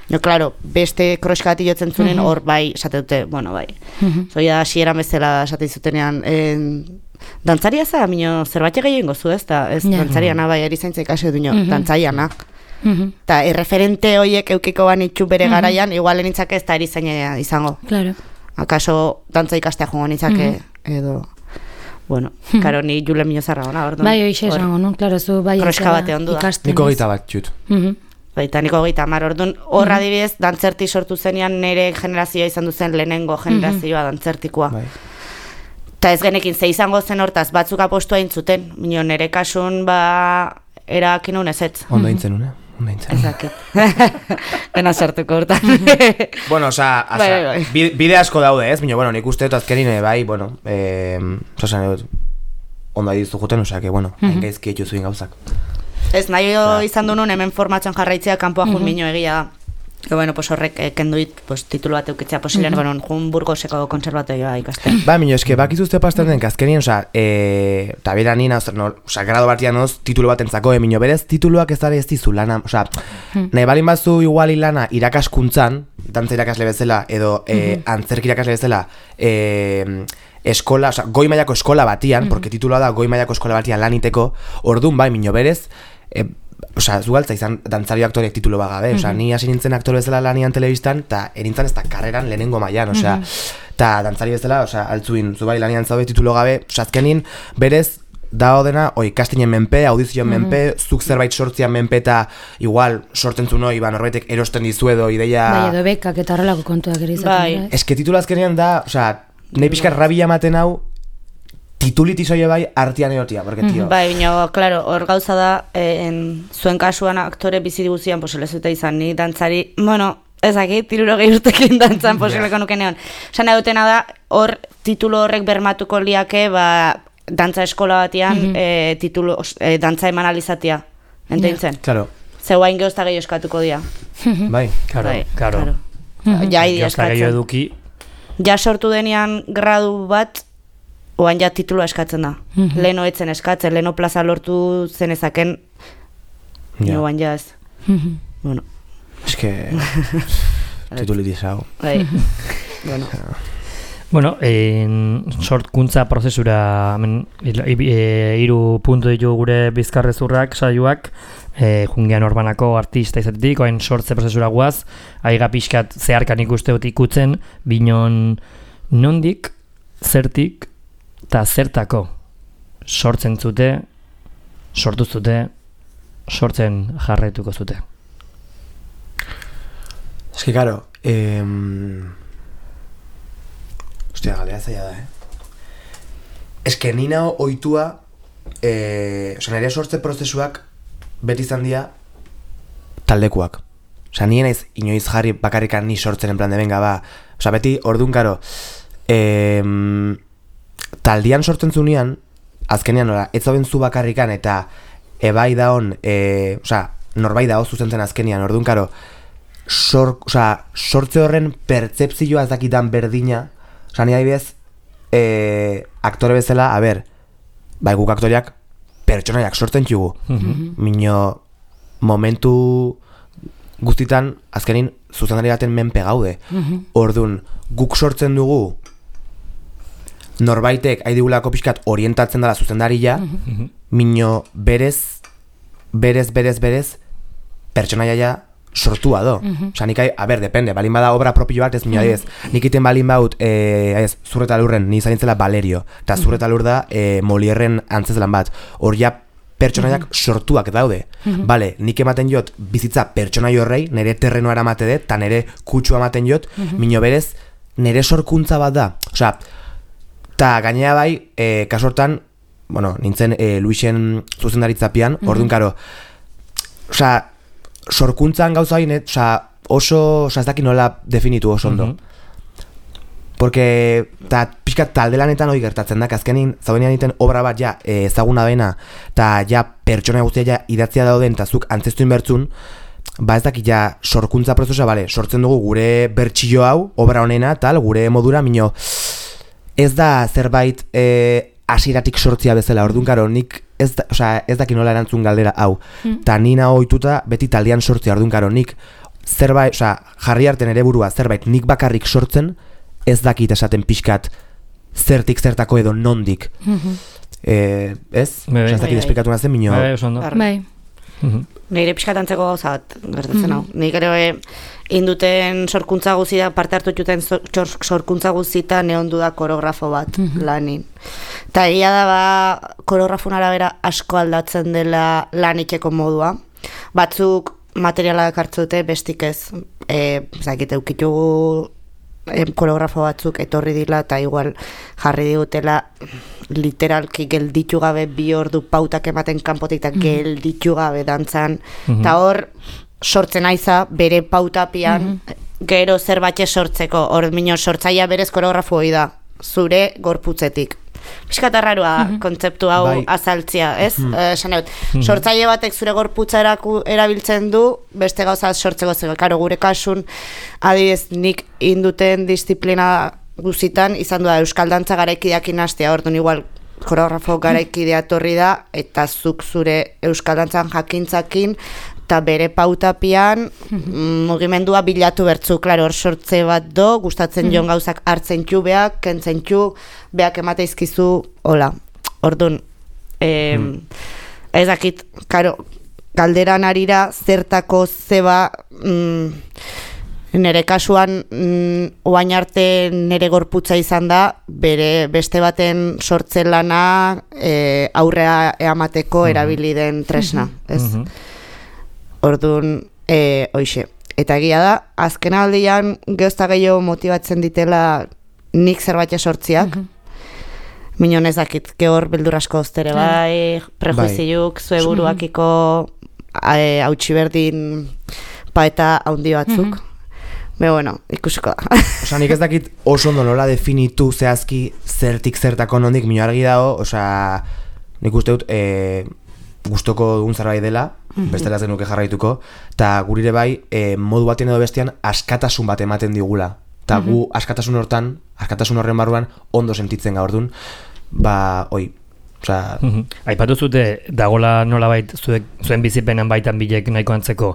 No, claro, beste kroeska bat jotzen zunen, hor bai, esate dute, bueno, bai. Zoia da, xieran bezala esate zutenean, dantzaria za, minio, zerbait egin gozu, ez? Ez dantzariana, bai, erizaintza ikasi duño, dantzaiana. Eta erreferente horiek eukiko ban itxu bere garaian, igual nintzake ez da erizaina izango. Claro. Akaso dantza ikastea jongo nintzake, edo... Bueno, karo, ni Jule Miñozarra gona, orduan. Bai, hoxe esango, no? Claro, zu bai kroeska bate ondu da. Niko gita bat, txut. Baita, niko gita mar, orduan, horra dibidez, dantzerti sortu zenean nire generazioa izan duzen lehenengo generazioa dantzertikoa. Eta ez genekin, ze izango zen hortaz, batzuk apostua intzuten, minio, nire kasun, ba, erakin unez ez. Ondo intzen une, ondo intzen. Ezakit. Ena sartuko hortan. Bueno, oza, bide asko daude ez, minio, bueno, nik uste dut azkerin, bai, bueno, oza, dut, ondo adizu juten, oza, que, bueno, gaizki etxu zuen gauzak. Ez, nahi izan du nun hemen formatzen jarraitzea kanpoa jun minio egia da. Que bueno, pues horrek eh, kenduit, pues titulu bat eukitzea posilen, bueno, jun Burgoseko konservatoioa ikasten. Ba, minio, eske, bakizuzte pasten den, azkenien, oza, e, eta bera nina, oza, grado batian oz, titulu bat entzako, e, minio, berez, tituluak ez dara ez dizu lana, oza, nahi balin bazu iguali lana irakaskuntzan, dantza irakasle bezala, edo e, antzerk irakasle bezala, e, eskola, oza, goi mailako eskola batian, porque titulua da goi mailako eskola batian laniteko, ordun bai, minio, berez, e, Osa, zugaltza izan dantzario aktoriak titulo bagabe, osa, ni hasi nintzen aktore bezala lanian telebistan, eta erintzen ez da karreran lehenengo mailan, osea, eta dantzari bezala, osea, altzuin, zubai lanian zaude titulo gabe, osea, azkenin, berez, da dena, oi, kastinen menpe, audizioan menpe, zuk zerbait sortzian menpe, eta igual, sorten zu noi, ba, norbaitek erosten dizu edo, ideia... Bai, edo bekak eta horrelako kontuak ere izaten. Bai. Eske titulo azkenean da, osea, nahi pixka rabia ematen hau, tituliti soie bai artian erotia, porque tio. Bai, bino, claro, hor gauza da, en, zuen kasuan aktore bizi diguzian poselezuta izan, ni dantzari, bueno, ezaki, tirurogei urtekin dantzan poseleko nuke neon. Osan edutena da, hor titulo horrek bermatuko liake, ba, dantza eskola batian, e, titulo, e, dantza eman alizatia, enteintzen? Claro. Zeu hain geozta gehiago eskatuko dia. Bai, karo, karo. Ja, idi eskatzen. eduki. Ja sortu denean gradu bat, oan ja titulua eskatzen da. Leno etzen eskatzen, leno plaza lortu zenezaken Ja. Joan jaz. Bueno. Es que... titulitizau. Bai. Bueno. Bueno, en sortkuntza prozesura hemen hiru puntu ditu gure bizkarrezurrak saioak, e, jungean orbanako artista izatetik, oain sortze prozesura guaz, aiga pixkat zeharkan ikuste dut ikutzen, binon nondik, zertik, eta zertako sortzen zute, sortu zute, sortzen jarraituko zute. Es que, claro, eh... hostia, galea zaila da, eh? Es que nina oitua, eh... oza, nire sortze prozesuak beti izan dira taldekuak. Osa, nien naiz inoiz jarri bakarrikan ni sortzen en plan de venga, ba. Osa, beti, orduan, karo, eh... taldian sortzen zunean, azkenean, ora, ez zauden zu bakarrikan, eta ebai daon, eh... osa, norbai dao zuzentzen azkenean, orduan, karo, sor, osa, sortze horren pertzepzioa ez dakitan berdina. Osa, ni adibidez, e, aktore bezala, a ber, bai guk aktoriak pertsonaiak sortzen txugu. Mm-hmm. Mino, momentu guztitan, azkenin, zuzendari baten menpe gaude. Mm-hmm. Orduan, guk sortzen dugu, norbaitek haidigulako pixkat orientatzen dela zuzendaria, mm-hmm. Mino, berez, berez, berez, berez, pertsonaia sortua do. Mm-hmm. Osa, nik, a ber, depende, balin bada obra propio bat, ez minua mm-hmm. diez. Nik iten balin baut, eh, ez, Zurreta Lurren, ni zaintzela Valerio, eta mm-hmm. Zurreta Lur da, eh, Molierren antzezlan bat. Hor ja, pertsonaiak mm-hmm. sortuak daude. Mm-hmm. Bale, nik ematen jot bizitza pertsonai horrei, nire terrenoa emate dut, eta nire kutsua ematen jot, mm-hmm. Mino berez, nire sorkuntza bat da. Osa, eta gainea bai, eh, kasortan, bueno, nintzen eh, Luisen zuzendaritzapian, mm-hmm. Orduan, karo, osa, sorkuntzan gauza hain, oza, oso, oza, ez daki nola definitu oso ondo. Mm-hmm. Porque, ta, pixkat taldelanetan hori gertatzen da, azkenin, zaudenean iten obra bat ja e, ezaguna dena, eta ja pertsona guztia ja idatzia dauden, eta zuk antzestu inbertzun, ba ez daki ja sorkuntza prozesua, bale, sortzen dugu gure bertxillo hau, obra honena, tal, gure modura, mino, ez da zerbait e, asiratik sortzia bezala, orduan, karo, nik ez da, oza, ez daki nola erantzun galdera hau. Ta mm. nina ohituta beti taldean sortzea, orduan, karo, nik zerbait, oza, jarri arte nere burua zerbait nik bakarrik sortzen, ez dakit esaten pixkat zertik zertako edo nondik. Mm-hmm. eh, ez? Bai, ez dakit esplikatu nazen, minio. Bai, oso ondo. Bai. Mm-hmm. Nire pixkat antzeko gauza bat gertatzen mm-hmm. hau. Nik ere induten sorkuntza guzita, parte hartu txuten sorkuntza guzita neondu da koreografo bat mm-hmm. lanin. Eta egia da ba, koreografun arabera asko aldatzen dela lanikeko modua. Batzuk materiala hartzen dute, bestik ez. E, zakite, eukitugu e, koreografo batzuk etorri dila eta igual jarri digutela literalki gelditu gabe bi ordu pautak ematen kanpotik eta mm-hmm. gelditu gabe dantzan. Eta mm-hmm. hor sortzen aiza bere pautapian mm-hmm. gero zerbait sortzeko. Hor mino sortzaia berez koreografo hori da, zure gorputzetik. Piskat arrarua mm-hmm. kontzeptu hau bai. Azaltzia, ez? Mm-hmm. Esan dut, mm-hmm. sortzaile batek zure gorputza eraku, erabiltzen du, beste gauza sortzeko zego. Karo, gure kasun, adibidez, nik induten disiplina guzitan, izan du da Euskal Dantza garaikideak inastea, orduan igual koreografo garaikidea torri da, eta zuk zure Euskal Dantzan jakintzakin, eta bere pautapian mm-hmm. mugimendua bilatu bertzu, klaro, hor sortze bat do, gustatzen mm-hmm. jon gauzak hartzen txu beak, kentzen txu, beak emateizkizu, hola, orduan, eh, mm. ez dakit, klaro, galderan arira zertako zeba, mm, nere kasuan, mm, oain arte nere gorputza izan da, bere beste baten sortze lana e, aurrea eamateko mm-hmm. erabili den tresna, ez? Mm-hmm. Orduan, e, hoixe. Eta egia da, azken aldian geozta gehiago motibatzen ditela nik zerbait sortziak. Mm-hmm. Minon ez dakit, gehor beldur asko oztere bai, prejuiziuk, zue buruakiko hautsi berdin paeta haundi batzuk. Mm-hmm. Be, bueno, ikusiko da. Osa, nik ez dakit oso ondo nola definitu zehazki zertik zertako nondik, mino argi dago, osa, nik uste dut, e, gustoko dugun zerbait dela, mm-hmm. bestela ez genuke jarraituko, eta gurire bai, e, modu batean edo bestean, askatasun bat ematen digula. Eta mm-hmm. gu askatasun hortan, askatasun horren barruan, ondo sentitzen gaur dun, ba, oi, Osea, aipatu zute dagola nolabait zuek zuen bizipenan baitan bilek nahiko antzeko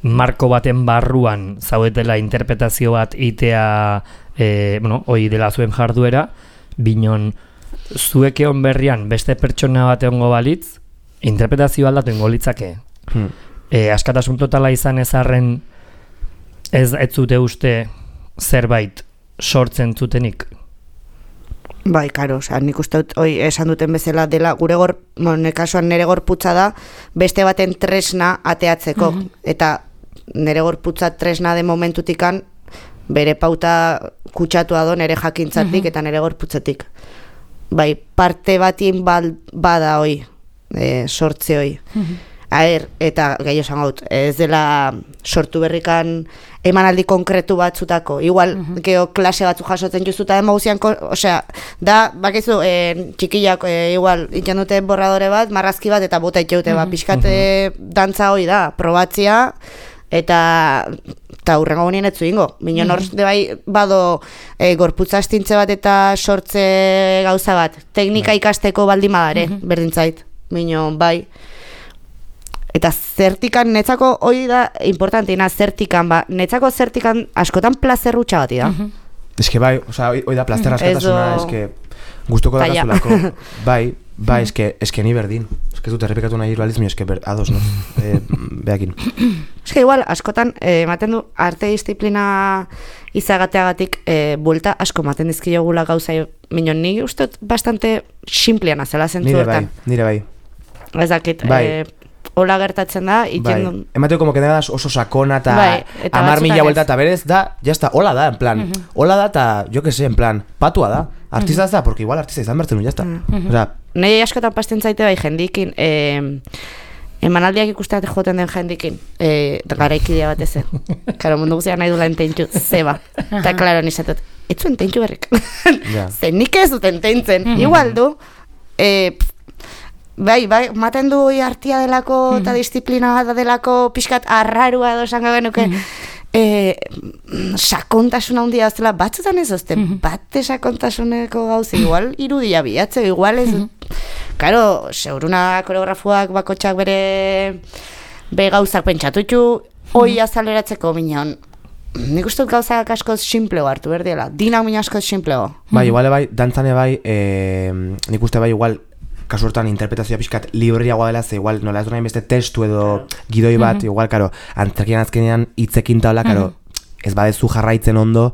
marko baten barruan zaudetela interpretazio bat itea, e, bueno, hoi dela zuen jarduera, binon zuek egon berrian beste pertsona bat egongo balitz, interpretazio aldatu egongo litzake. Hmm. E, askatasun totala izan ezarren ez ez zute uste zerbait sortzen zutenik? Bai, karo, oza, nik uste dut, oi, esan duten bezala dela, gure gor, bueno, kasuan nere gorputza da, beste baten tresna ateatzeko, mm-hmm. eta nere gorputza tresna de momentutikan, bere pauta kutsatua do nere jakintzatik mm-hmm. eta nere gorputzatik. Bai, parte batien bal, bada hoi, e, sortze hoi. Mm-hmm. Aher, eta gehiago esan gaut, ez dela sortu berrikan emanaldi konkretu batzutako. Igual, uh-huh. geho klase batzu jasotzen juzuta emozian, osea, da, bakizu, e, txikiak, e, igual, itxan dute borradore bat, marrazki bat, eta bota itxeute, uh-huh. ba, pixkate uh-huh. dantza hoi da, probatzia, eta eta hurrengo bonien etzu ingo. Minon hor, uh-huh. de bai, bado, e, gorputza astintze bat eta sortze gauza bat, teknika uh-huh. ikasteko baldimadare, uh-huh. berdintzait. Minon, bai, eta zertikan, netzako hori da importanteina, zertikan, ba, netzako zertikan askotan plazer hutsa bati da. Uh-huh. Ez que bai, oza, hori da plazer askatasuna, ez que guztoko da gazulako, bai, bai, ez que, ez que ni berdin, ez que dut errepikatu nahi irbaliz, mi ez que ber, ados, no, e, behakin. Ez que igual, askotan, ematen eh, du, arte disiplina izagateagatik, eh, buelta asko maten dizkiogula gauza, minon, ni uste bastante simplean azela zentzu hortan. Nire bai, nire bai. Ez dakit, bai. Eh, hola gertatzen da, itzen bai. Emateo como que da oso sakona eta bai, amar mila vuelta eta berez da, ya está, hola da, en plan, uh-huh. hola da eta, jo que sé, en plan, patua da, artista uh-huh. da, porque igual artista izan bertzen, ya está. Uh-huh. O sea, nei askotan pasten zaite bai jendikin, eh, emanaldiak ikusteat joten den jendikin, eh, garaikidea bat ezen. Karo, mundu guztiak nahi dula ententxu, zeba. Eta, klaro, nizatot, ez zuen ententxu berrik. Yeah. Zer nik ez dut enteintzen, uh-huh. igual du, eh, bai, bai, maten du artia delako eta mm-hmm. disiplina bat delako pixkat arrarua edo esan gabenuke mm-hmm. e, sakontasuna handia oztela, batzutan ez ozte, mm-hmm. bate sakontasuneko gauzi, igual irudia bilatze, igual ez, mm-hmm. karo, seuruna koreografuak bakotxak bere be gauzak pentsatutxu, mm-hmm. hoi azaleratzeko minon, nik uste dut gauzak askoz simpleo hartu berdiela, dinak mina askoz simpleo. Mm-hmm. Bai, igual bai, dantzane bai, e, nik uste bai igual, kasu hortan interpretazioa pixkat libriagoa dela, ze igual nola ez du nahi beste testu edo gidoi bat, mm-hmm. igual, karo, antzerkian azkenean hitzekin taula, karo, mm-hmm. ez badezu jarraitzen ondo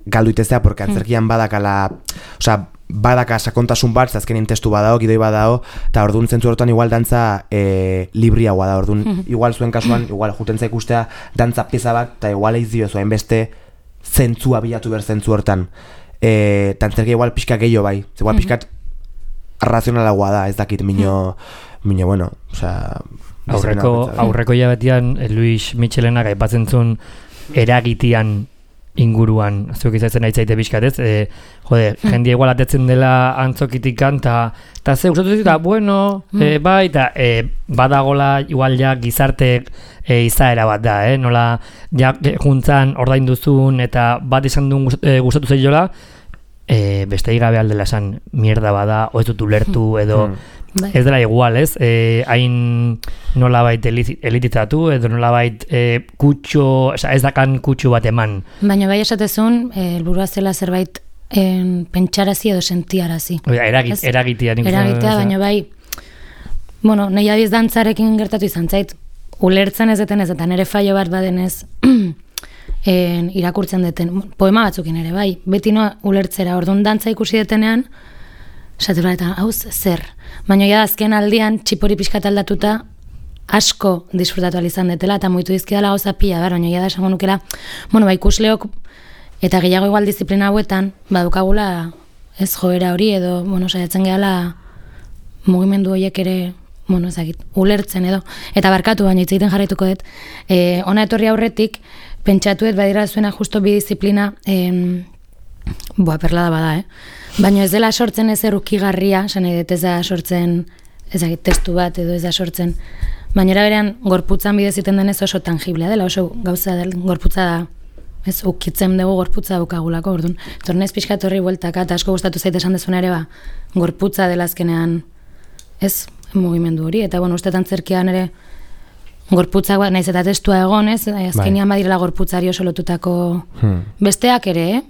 galdu itezea, porque antzerkian badakala, osea, badaka sakontasun bat, azkenean testu badao, gidoi badao, eta orduan zentzu hortan igual dantza e, libriagoa da, orduan mm-hmm. igual zuen kasuan, igual juten zaik ustea dantza pieza bat, eta igual eiz dio zuen beste zentzua bilatu ber zentzu hortan. E, eta antzerkia igual pixka gehiago bai, ze igual pixkat razionalagoa da, ez dakit mino, mino bueno, osea... Aurreko, aurreko jabetian, Luis Michelenak aipatzen zuen eragitian inguruan, zuek izatzen nahi zaite bizkat, ez? E, jode, jendia igual atetzen dela antzokitikan, eta ze, usatu zita, bueno, e, bai, eta e, badagola igual ja gizarte e, izaera bat da, eh? Nola, ja, juntzan ordain duzun, eta bat izan duen gustatu zaiola, E, beste igabe aldela esan mierda bada, o ez dut ulertu edo mm. ez dela igual, ez? E, hain nolabait elitizatu edo nolabait e, kutxo, oza, ez dakan kutxo bat eman. Baina bai esatezun, helburua zela zerbait en, pentsarazi edo sentiarazi. Eragit, eragitea. Eragitea, baina bai, bueno, nahi abiz dantzarekin gertatu izan zait, ulertzen ez deten ez, eta nire fallo bat badenez, En, irakurtzen deten, poema batzukin ere, bai, beti noa ulertzera, orduan dantza ikusi detenean, esatura eta, hauz, zer. Baina ja, azken aldian, txipori pixkat aldatuta, asko disfrutatu alizan detela, eta moitu dizkidala gauza pila, bar, baina ja da esango nukela, bueno, bai, ikusleok, eta gehiago igual disiplina hauetan, badukagula, ez joera hori, edo, bueno, saiatzen gehala, mugimendu horiek ere, bueno, ezagit, ulertzen edo, eta barkatu, baina hitz egiten jarraituko dut, e, ona etorri aurretik, pentsatuet badira zuena justo bi disiplina, em, boa, perlada bada, eh? Baina ez dela sortzen ez erukigarria, esan nahi dut ez da sortzen, ezagit, testu bat edo ez da sortzen, baina eraberean gorputzan bidez iten denez oso tangiblea dela, oso gauza del, gorputza da, ez, ukitzen dugu gorputza daukagulako, orduan. Tornez pixkat horri bueltaka, eta asko gustatu zait esan dezuna ere, ba, gorputza dela azkenean ez mugimendu hori, eta bueno, ustetan zerkian ere gorputzak bat, naiz eta testua egon, ez, azkenian badirela gorputzari oso lotutako hmm. besteak ere, eh?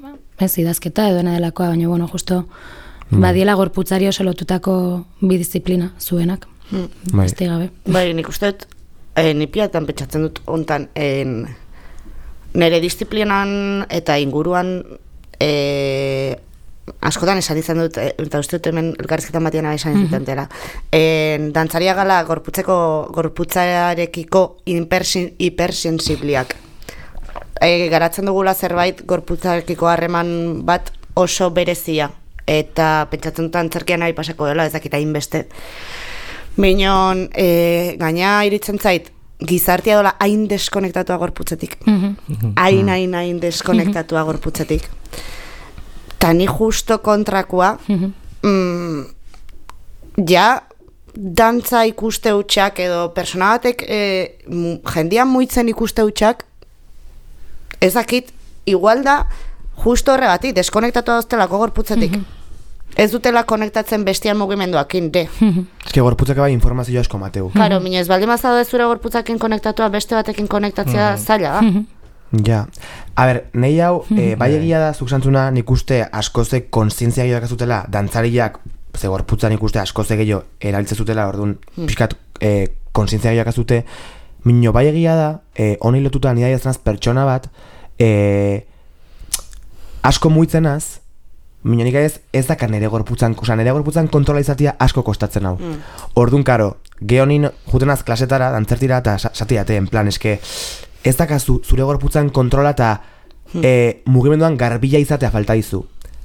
ez idazketa edo dena delakoa, baina bueno, justo hmm. badiela gorputzari oso lotutako bidisziplina zuenak, hmm. beste gabe. Bai, nik uste dut, eh, nipiatan pentsatzen dut ontan, en, nire disiplinan eta inguruan eh, askotan esan izan dut, eta uste dut hemen elkarrizketan batiana esan izan dut dela. En, dantzaria gala gorputzeko, gorputzarekiko hipersensibliak. E, garatzen dugula zerbait gorputzarekiko harreman bat oso berezia. Eta pentsatzen dut antzerkian nahi pasako dela, ez dakita inbeste. Minon, e, gaina iritzen zait, gizartia dola hain deskonektatua gorputzetik. Hain, hain, hain deskonektatua gorputzetik. Ta ni justo kontrakoa, mm, ja, dantza ikuste hutsak edo persona batek e, jendian muitzen ikuste hutsak, ez dakit, igual da, justo horregatik, deskonektatua doztelako gorputzetik. Ez dutela konektatzen bestian mugimenduakin, de. Ez que gorputzak bai informazio asko mateu. Claro, minez, ez baldin mazado zure gorputzakin konektatua beste batekin konektatzea zaila da. Ja, a ber, nahi hau, e, bai egia da, zuk santzuna nik uste askozek konsientzia gehiago zutela, dantzariak, ze gorputza nik uste askozek gehiago erabiltze zutela, orduan, pixkat e, konsientzia gehiago zute, minio bai egia da, e, honi lotuta nidai azanaz pertsona bat, e, asko muitzenaz, minio nik ez, ez dakar nire gorputzan, oza, nire gorputzan kontrola izatea asko kostatzen hau. Mm. Orduan, karo, gehonin jutenaz klasetara, dantzertira, eta satiate, en plan, eske, ez dakazu zure gorputzan kontrola eta hmm. e, mugimenduan garbila izatea falta dizu.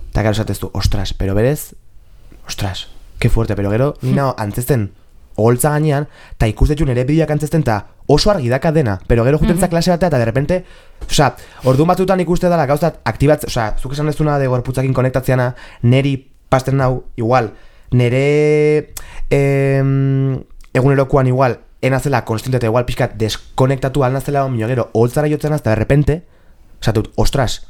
Eta gero esatezu, ostras, pero berez, ostras, que fuerte, pero gero, nina antzesten oholtza gainean, eta ikustetxu nire bideoak antzesten, eta oso argi daka dena, pero gero jutenza mm-hmm. klase batea, eta de repente, osea, orduan batzutan ikuste dela gauzat aktibatz, osea, zuk esan dezuna de gorputzakin konektatzeana, neri pasten nau, igual, nire em, egunerokoan igual, enazela konstiente eta igual pixkat deskonektatu alnazela minio gero, holtzara jotzen azta de repente, osatut, ostras,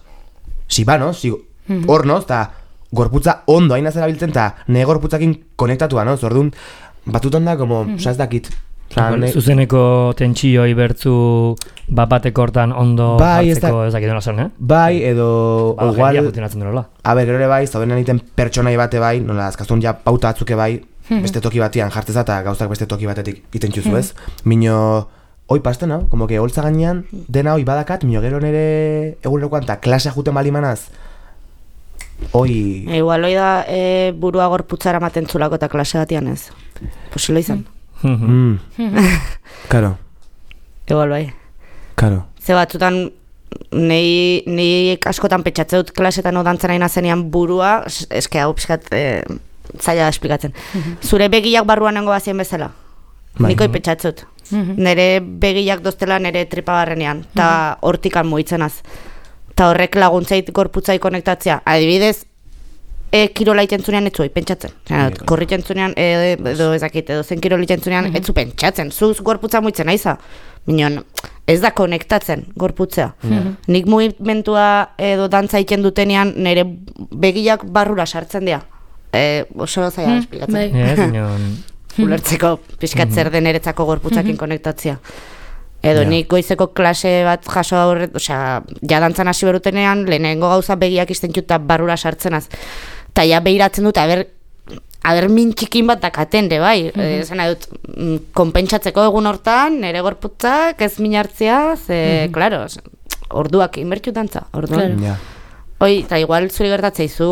si ba, no? Si, mm-hmm. hor, no? Eta gorputza ondo hain azela biltzen, eta ne gorputzakin konektatua, no? Zordun, batutan da, como, mm-hmm. osa ez dakit. Osa, ne... Zuzeneko tentsioi bertzu bat-bateko hortan ondo bai, hartzeko ez dakit dena zen, eh? Bai, edo... Ba, igual, jendia funtzionatzen denola. A ber, gero ere bai, zaudenan egiten pertsonai bate bai, nola, azkaztun ja pauta atzuke bai, beste toki batian jarteza eta gauzak beste toki batetik iten txuzu ez. Mino, hoi pasten hau, como que holtza gainean, dena hoi badakat, mino gero nere egunerokoan eta klasea juten balimanaz, hoi... Igual hoi da e, burua gorputzara maten zulako eta klase batian ez. Posilo izan. Karo. Igual bai. Karo. Ze batzutan, nei, nei askotan petxatze dut klasetan o dantzan aina zenean burua, eske hau pixkat... E, zaila da esplikatzen. Zure begiak barruan nengo bazien bezala. Bai. Niko ipetxatzut. Nere begiak doztela nere tripa barrenean. Ta hortikan muitzenaz. Ta horrek laguntzait gorputzai konektatzea. Adibidez, e, kirola itentzunean etzu pentsatzen. Korri itentzunean, e, edo ezakit, edo zen kirola itentzunean etzu pentsatzen. Zuz gorputza muitzen aiza. Minon, ez da konektatzen gorputzea. Nik mugimentua edo dantza iten dutenean nere begiak barrura sartzen dira. Eh, oso zaila esplikatzen. Yeah, ulertzeko pixkat zer den eretzako gorputzakin konektatzea. Edo yeah. nik goizeko klase bat jaso aurret, osea, ja dantzan hasi berutenean, lehenengo gauza begiak izten juta barrura sartzenaz. Ta ja behiratzen dut, aber, aber min txikin bat dakaten, de bai. Mm-hmm. E, zena dut, konpentsatzeko egun hortan, nire gorputzak ez min hartzea, ze, mm-hmm. klaro, orduak inbertxu dantza, orduan. Yeah. Oi, eta igual zuri gertatzeizu...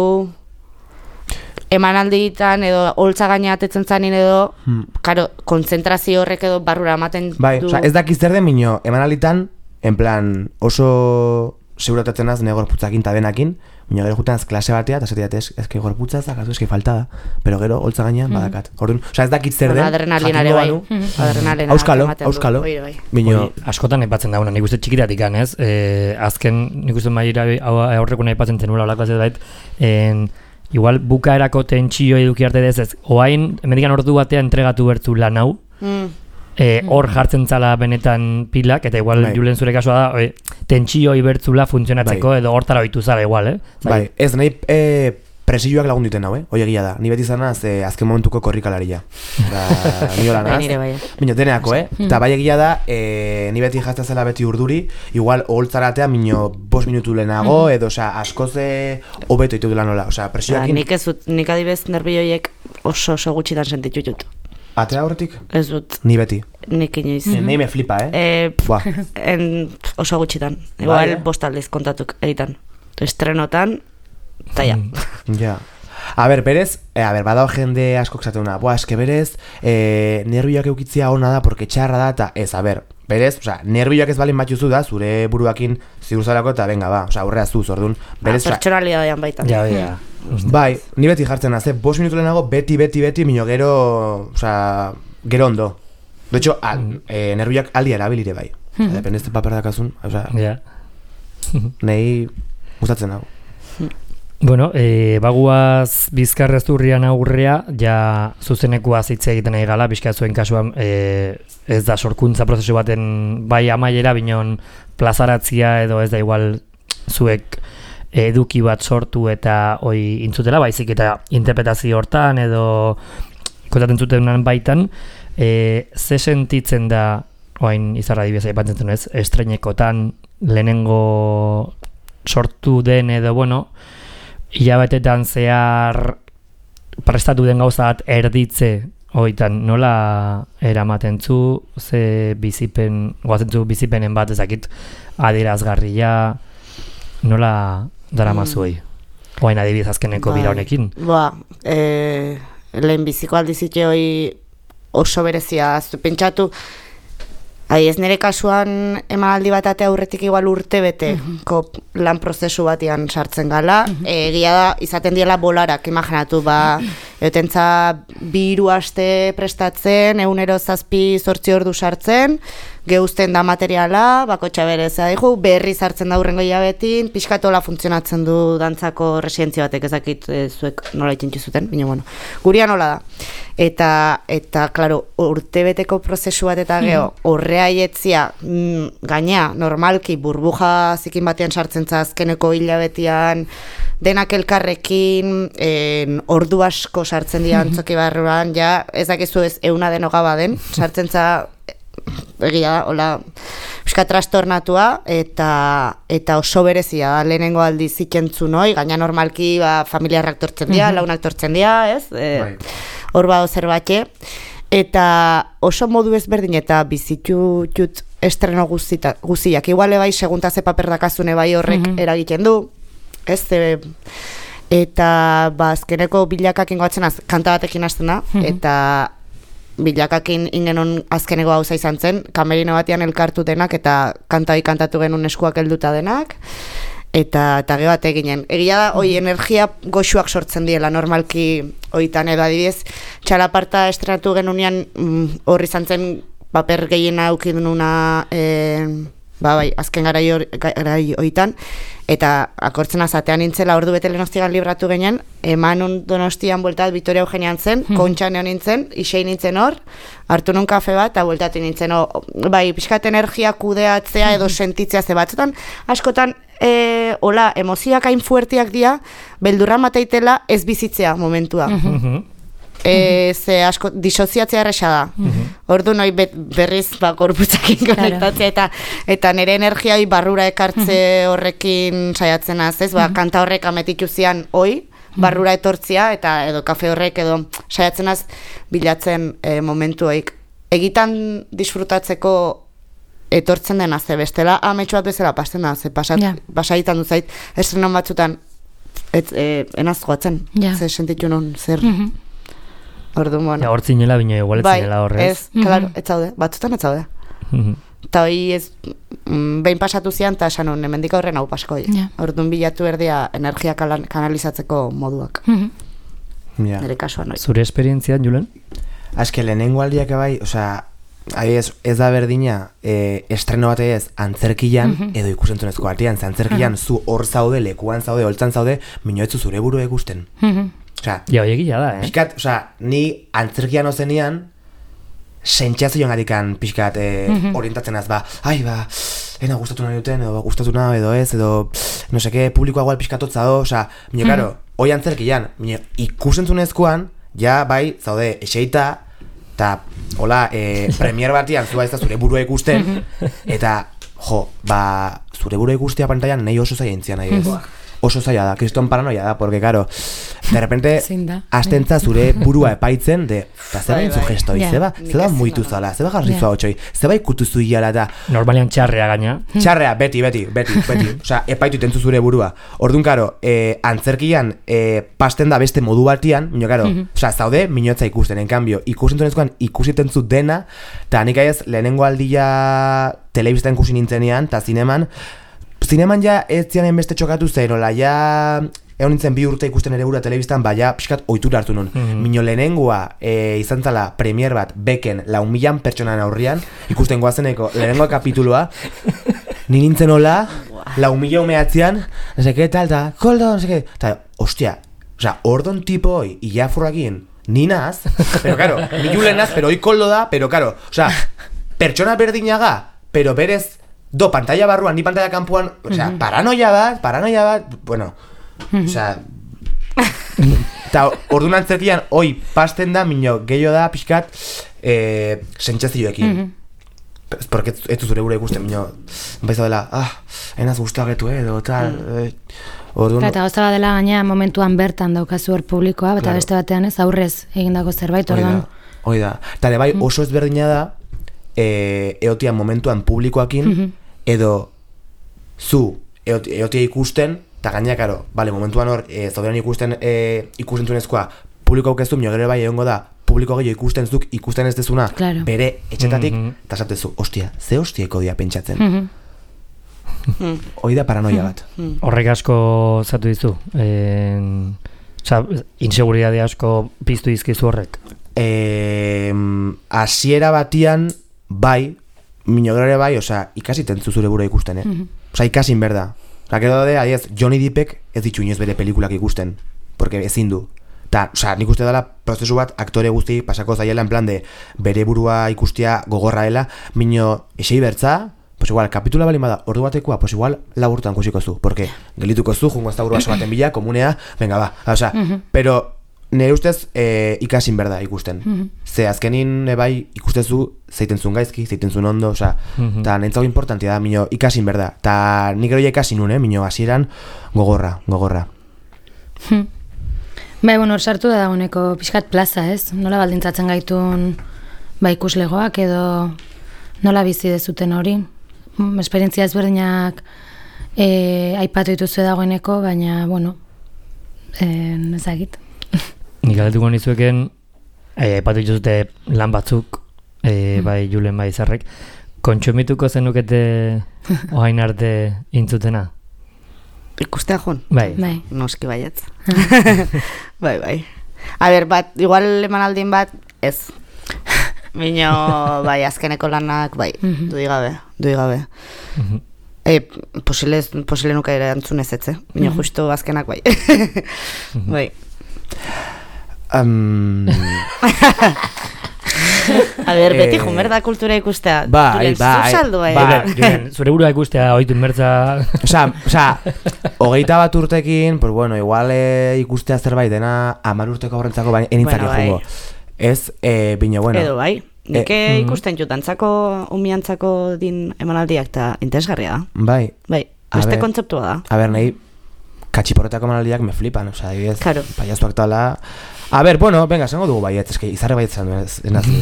emanalditan edo holtza gaina atetzen zanin edo, hmm. karo, konzentrazio horrek edo barrura ematen bai, du. Bai, ez dakiz zer den minio, emanalditan, en plan, oso seguratatzen az, nire gorputzakin tabenakin, minio gero jutenaz klase batea, eta zetiat ez, ezke gorputza ez dakazu, eski falta da, pero gero holtza gainean mm. badakat. Orduan, oza, ez dakit zer den, adrenalinare bai. Adrenalinare auskalo, auskalo. Minio, askotan aipatzen dauna, nik uste txikitatik ganez, eh, azken nik uste maira aurreko nahi aipatzen zenula olako ez bait, en... Igual bukaerako tentsio eduki arte dez ez, oain, emendikan ordu batea entregatu bertu lan hau, mm. e, hor jartzen zala benetan pilak, eta igual bai. Julen zure kasua da, e, tentsio ibertzula funtzionatzeko, bai. Edo hortara oitu zala igual, eh? Zai? Bai, ez nahi e, presioak lagun duten hau, eh? Hoi egia da. Ni beti zanaz, eh, azken momentuko korrikalaria. Da, ni hola naz. Mino, deneako, eh? Eta bai egia da, eh, ni beti jazta zela beti urduri, igual oholtzaratea, mino, bost minutu lehenago, edo, osea, askoze hobeto ditu dela nola. Osea, presioakin... Nik ez dut, nik adibez nerbioiek oso oso gutxitan sentitu dut. Atea horretik? Ez dut. Ni beti. Nik inoiz. Mm-hmm. Nei me flipa, eh? eh en, oso gutxitan. Igual eh? bost aldiz kontatuk egiten. Estrenotan, eta ja. Ja. A ber, berez, eh, a ber, badao jende asko esatuna. Boa, eske berez, eh, nervioak eukitzia ona da, porque txarra da, eta ez, a ber, berez, osea, nervioak ez balin batuzu da, zure buruakin ziurzalako, eta venga, ba, osea, aurrea zuz, orduan. Berez, ah, pertsonalidadian baitan. Ja, ja. Bai, ni beti jartzen az, eh? Bost minutu lehenago, beti, beti, beti, mino gero, osea, gero ondo. De hecho, al, mm. eh, nervioak aldi erabilire bai. Mm. Dependezte paper dakazun, osea, ja. Nei gustatzen hau. Bueno, e, baguaz Bizkarrezurrian aurrea, ja zuzenekua hitz egiten nahi gala, bizka zuen kasuan e, ez da sorkuntza prozesu baten bai amaiera, binon plazaratzia edo ez da igual zuek eduki bat sortu eta hoi intzutela, baizik eta interpretazio hortan edo kontatzen zutenan baitan, e, ze sentitzen da, oain izarra dibia aipatzen zen ez, estreinekotan lehenengo sortu den edo, bueno, hilabetetan zehar prestatu den gauza bat erditze hoitan nola eramaten zu, ze bizipen, goazen zu bizipenen bat ezakit adierazgarria, nola daramazu hoi? Mm. Oain adibidez azkeneko bira honekin. Ba, e, lehen biziko aldizite hoi oso berezia, aztu pentsatu, Ai, ez nire kasuan emanaldi bat ate aurretik igual urte bete mm-hmm. lan prozesu batean sartzen gala. Mm-hmm. Egia da, izaten diela bolarak, imaginatu, ba, eutentza bi hiru aste prestatzen, egunero zazpi zortzi ordu sartzen, geuzten da materiala, bakotxa bereza dihu, berri sartzen da hurrengo hilabetin, pixkatola funtzionatzen du dantzako residentzia batek, ezakit e, zuek nola itxentzu zuten, baina bueno, guria nola da. Eta, eta, klaro, urtebeteko prozesu bat eta geho, horrea ietzia, mm, gaina, normalki, burbuja zikin batean sartzen azkeneko hilabetian, denak elkarrekin, en, ordu asko sartzen dira antzoki barruan, ja, ez dakizu ez euna denoga baden, sartzen za, egia da, hola, euska trastornatua, eta, eta oso berezia da, lehenengo aldi zikentzun hoi, gaina normalki, ba, familiarrak tortzen dira, launak tortzen dira, ez? E, hor bado zerbait, eta oso modu ezberdin eta bizitu jut estreno guziak. Iguale bai, segunta ze paper dakazune bai horrek mm-hmm. eragiten du, ez? E, eta ba, azkeneko bilakakin goatzen az, kanta batekin hasten da, mm-hmm. eta bilakakin ingenon azkeneko gauza izan zen, kamerino batean elkartu denak eta kantai kantatu genuen eskuak helduta denak, eta eta gero bat eginen. Egia da, hoi energia goxuak sortzen diela, normalki hoitan edo adibidez, txalaparta estrenatu genunean hor izan zen paper gehiena aukidununa e, ba bai, azken garai hoitan, eta akortzen azatean nintzela ordu bete lehenoztigan libratu ginen, eman Donostian bueltat Vitoria Eugenian zen, hmm. kontxan egon nintzen, isei nintzen hor, hartu nun kafe bat, eta bueltatu nintzen, o, bai, pixkat energia kudeatzea edo sentitzea ze batzutan, askotan, e, hola, emozioak hain fuertiak dira, beldurra mateitela ez bizitzea momentua. Mm-hmm. E, ze asko, disoziatzea erresa da. Mm-hmm. Ordu noi bet, berriz ba, gorputzakin konektatzea eta, eta nire energiai barrura ekartze horrekin saiatzen az, ez? Ba, kanta horrek ametitu zian hoi, barrura etortzia eta edo kafe horrek edo saiatzen az bilatzen e, momentuoik. Egitan disfrutatzeko etortzen dena ze bestela ametsu bat bezala pasten da, ze pasat, yeah. basaitan duzait estrenon batzutan et, e, enaz joatzen, yeah. ze sentitu non zer... Mm-hmm. Ordu, bueno. Ja, hortzinela bino igual etzinela horrez. Ez, mm-hmm. claro, ez zaude, batzutan ez zaude. Mm-hmm. Eta hori ez, mm, behin pasatu zian, eta esan hon, hemendik horren hau pasko. Yeah. Orduan bilatu erdia energia kanalizatzeko moduak. Mm-hmm. Yeah. Nere kasuan hori. Zure esperientzian, Julen? Azke, lehenengo aldiak bai, osea, ez, ez da berdina e, estreno bate ez antzerkian mm-hmm. edo ikusentzunezko batean, antzerkian mm-hmm. zu hor zaude, lekuan zaude, holtzan zaude, minoetzu zure buru ikusten. Mm-hmm. Osea, ja, oiegia da, eh? Pixkat, osea, ni antzerkian ozenean sentsazioan gatikan pixkat eh, mm-hmm. orientatzen az, ba, ai, ba, ena gustatu nahi duten, edo gustatu nahi edo ez, edo, no seke, publikoa igual pixkatotza do, osea, mino, mm-hmm. karo, hoi antzerkian, ikusentzunezkoan, ja, bai, zaude, eseita, eta, hola, e, premier batian, zua ez da zure burua ikusten, eta, jo, ba, zure burua ikustea pantailan nahi oso zaila intzian nahi ez. Oso zaila da, kriston paranoia da, porque, karo, de repente, astentza zure burua epaitzen, de, eta zeba intzu gesto, zeba, zeba muitu zala, zeba jarrizua hotxoi, zeba ikutu zuiala eta... Normalian txarrea gaina. Txarrea, beti, beti, beti, beti, osea, epaitu itentzu zure burua. Orduan, karo, eh, antzerkian eh, pasten da beste modu batian, mino, karo, osea, zaude, minotza ikusten, en cambio, ikusentzunezkoan ikusitentzu dena, eta nik aiz, lehenengo aldia telebistan ikusi nintzenean, eta zineman, Zineman ja ez zianen beste txokatu zen, ola, ja egon nintzen bi urte ikusten ere gura telebistan, ba, ja pixkat ohitura hartu nun. Mm-hmm. Mino lehenengoa e, izan zala premier bat beken lau milan pertsonan aurrian, ikusten goazeneko lehenengoa kapituloa, ni nintzen ola, lau mila umeatzean, no seke tal, eta koldo, no seke, eta, ostia, osea, ordon tipo hoi, ia furrakin, ni naz, pero karo, ni julen naz, pero hoi koldo da, pero karo, osea, pertsona berdinaga, pero berez, do, pantalla barruan, ni pantalla kanpuan, o sea, mm-hmm. paranoia bat, paranoia bat, bueno, mm-hmm. o sea, eta orduan antzerkian, oi, pasten da, minio, gehiago da, pixkat, eh, sentsazioekin. Mm-hmm. Porque ez zure gure ikusten, minio, baiza dela, ah, enaz guztua getu, edo, tal, mm. eh, orduan... Eta gozta dela gaina momentuan bertan daukazu hor publikoa, eta claro. Beste batean ez, aurrez egindako zerbait, orduan... Hoi da, eta de bai, oso ezberdina da, E, eotian momentuan publikoakin, mm-hmm. edo zu eotia, eotia ikusten, eta gaina, karo, bale, momentuan hor, e, zauderan ikusten e, ikusentzunezkoa publiko aukezu, minio gero bai egongo da, publiko gehiago ikusten zuk, ikusten ez dezuna, claro. Bere etxetatik, eta mm-hmm. Zatezu, ostia, ze hostieko dia pentsatzen. Mm-hmm. Hoi da paranoia bat. Mm-hmm. Horrek asko zatu dizu, en, oza, inseguridade asko piztu izkizu horrek. Eh, asiera batian, bai, minograre bai, osea, ikasi tentzu zure bura ikusten, eh? Mm-hmm. Osea, ikasin berda. Osea, gero daude, adiez, Johnny Deppek ez ditu inoz bere pelikulak ikusten, porque ezin du. Ta, osea, nik uste dela prozesu bat aktore guzti pasako zaiela en plan de bere burua ikustia gogorra dela, mino esei bertza, pues igual, kapitula balin bada, ordu batekoa, pues igual laburtan kusiko zu, porque gelituko zu, jungo ez da burua baten bila, komunea, venga, ba, osea, mm-hmm. Pero nire ustez e, ikasin berda ikusten. Mm-hmm. Ze azkenin ebai ikustezu zeitenzun gaizki, zeitenzun ondo, oza, mm-hmm. Ta nintzago importantia da, mino, ikasin berda. Ta nik ero ja ikasin nun, eh, mino, hasieran gogorra, gogorra. Hmm. Bai, bueno, hor sartu da dagoeneko pixkat plaza, ez? Nola baldintzatzen gaitun ba ikuslegoak edo nola bizi dezuten hori? Esperientzia ezberdinak e, aipatu dituzue dagoeneko, baina, bueno, e, ezagit. Nik galdetuko nizueken, aipatu dituzute lan batzuk, e, bai Julen bai Zarrek, kontsumituko zenukete oain arte intzutena? Ikustea joan? Bai. Bai. Noski baietz. Bai, bai. A ber, bat, igual emanaldin bat, ez. Mino, bai, azkeneko lanak, bai, mm-hmm. Dui gabe, dui gabe. Mm-hmm. E, posile, posile nuka ere antzunez etze. Mino, mm-hmm. Justo azkenak, bai. Mm-hmm. Bai. Um... A ber, beti jumer da kultura ikustea. Bai, bai, bai, bai. Zure burua ikustea, oitu inbertza... Osa, osa, hogeita bat urtekin, pues bueno, igual eh, ikustea zerbait dena amar urteko horrentzako baina enintzak bueno, jugo. Bai. Ez, eh, bine, bueno. Edo, bai. Nik eh, ikusten jutantzako, umiantzako din emanaldiak eta interesgarria da. Bai. Bai, beste kontzeptua da. A ber, nahi, katxiporretako emanaldiak me flipan, osa, adibidez, claro. Paiaztuak tala... A ber, bueno, venga, esango dugu baiet, eske izarre baiet zan, ez, ez nazi...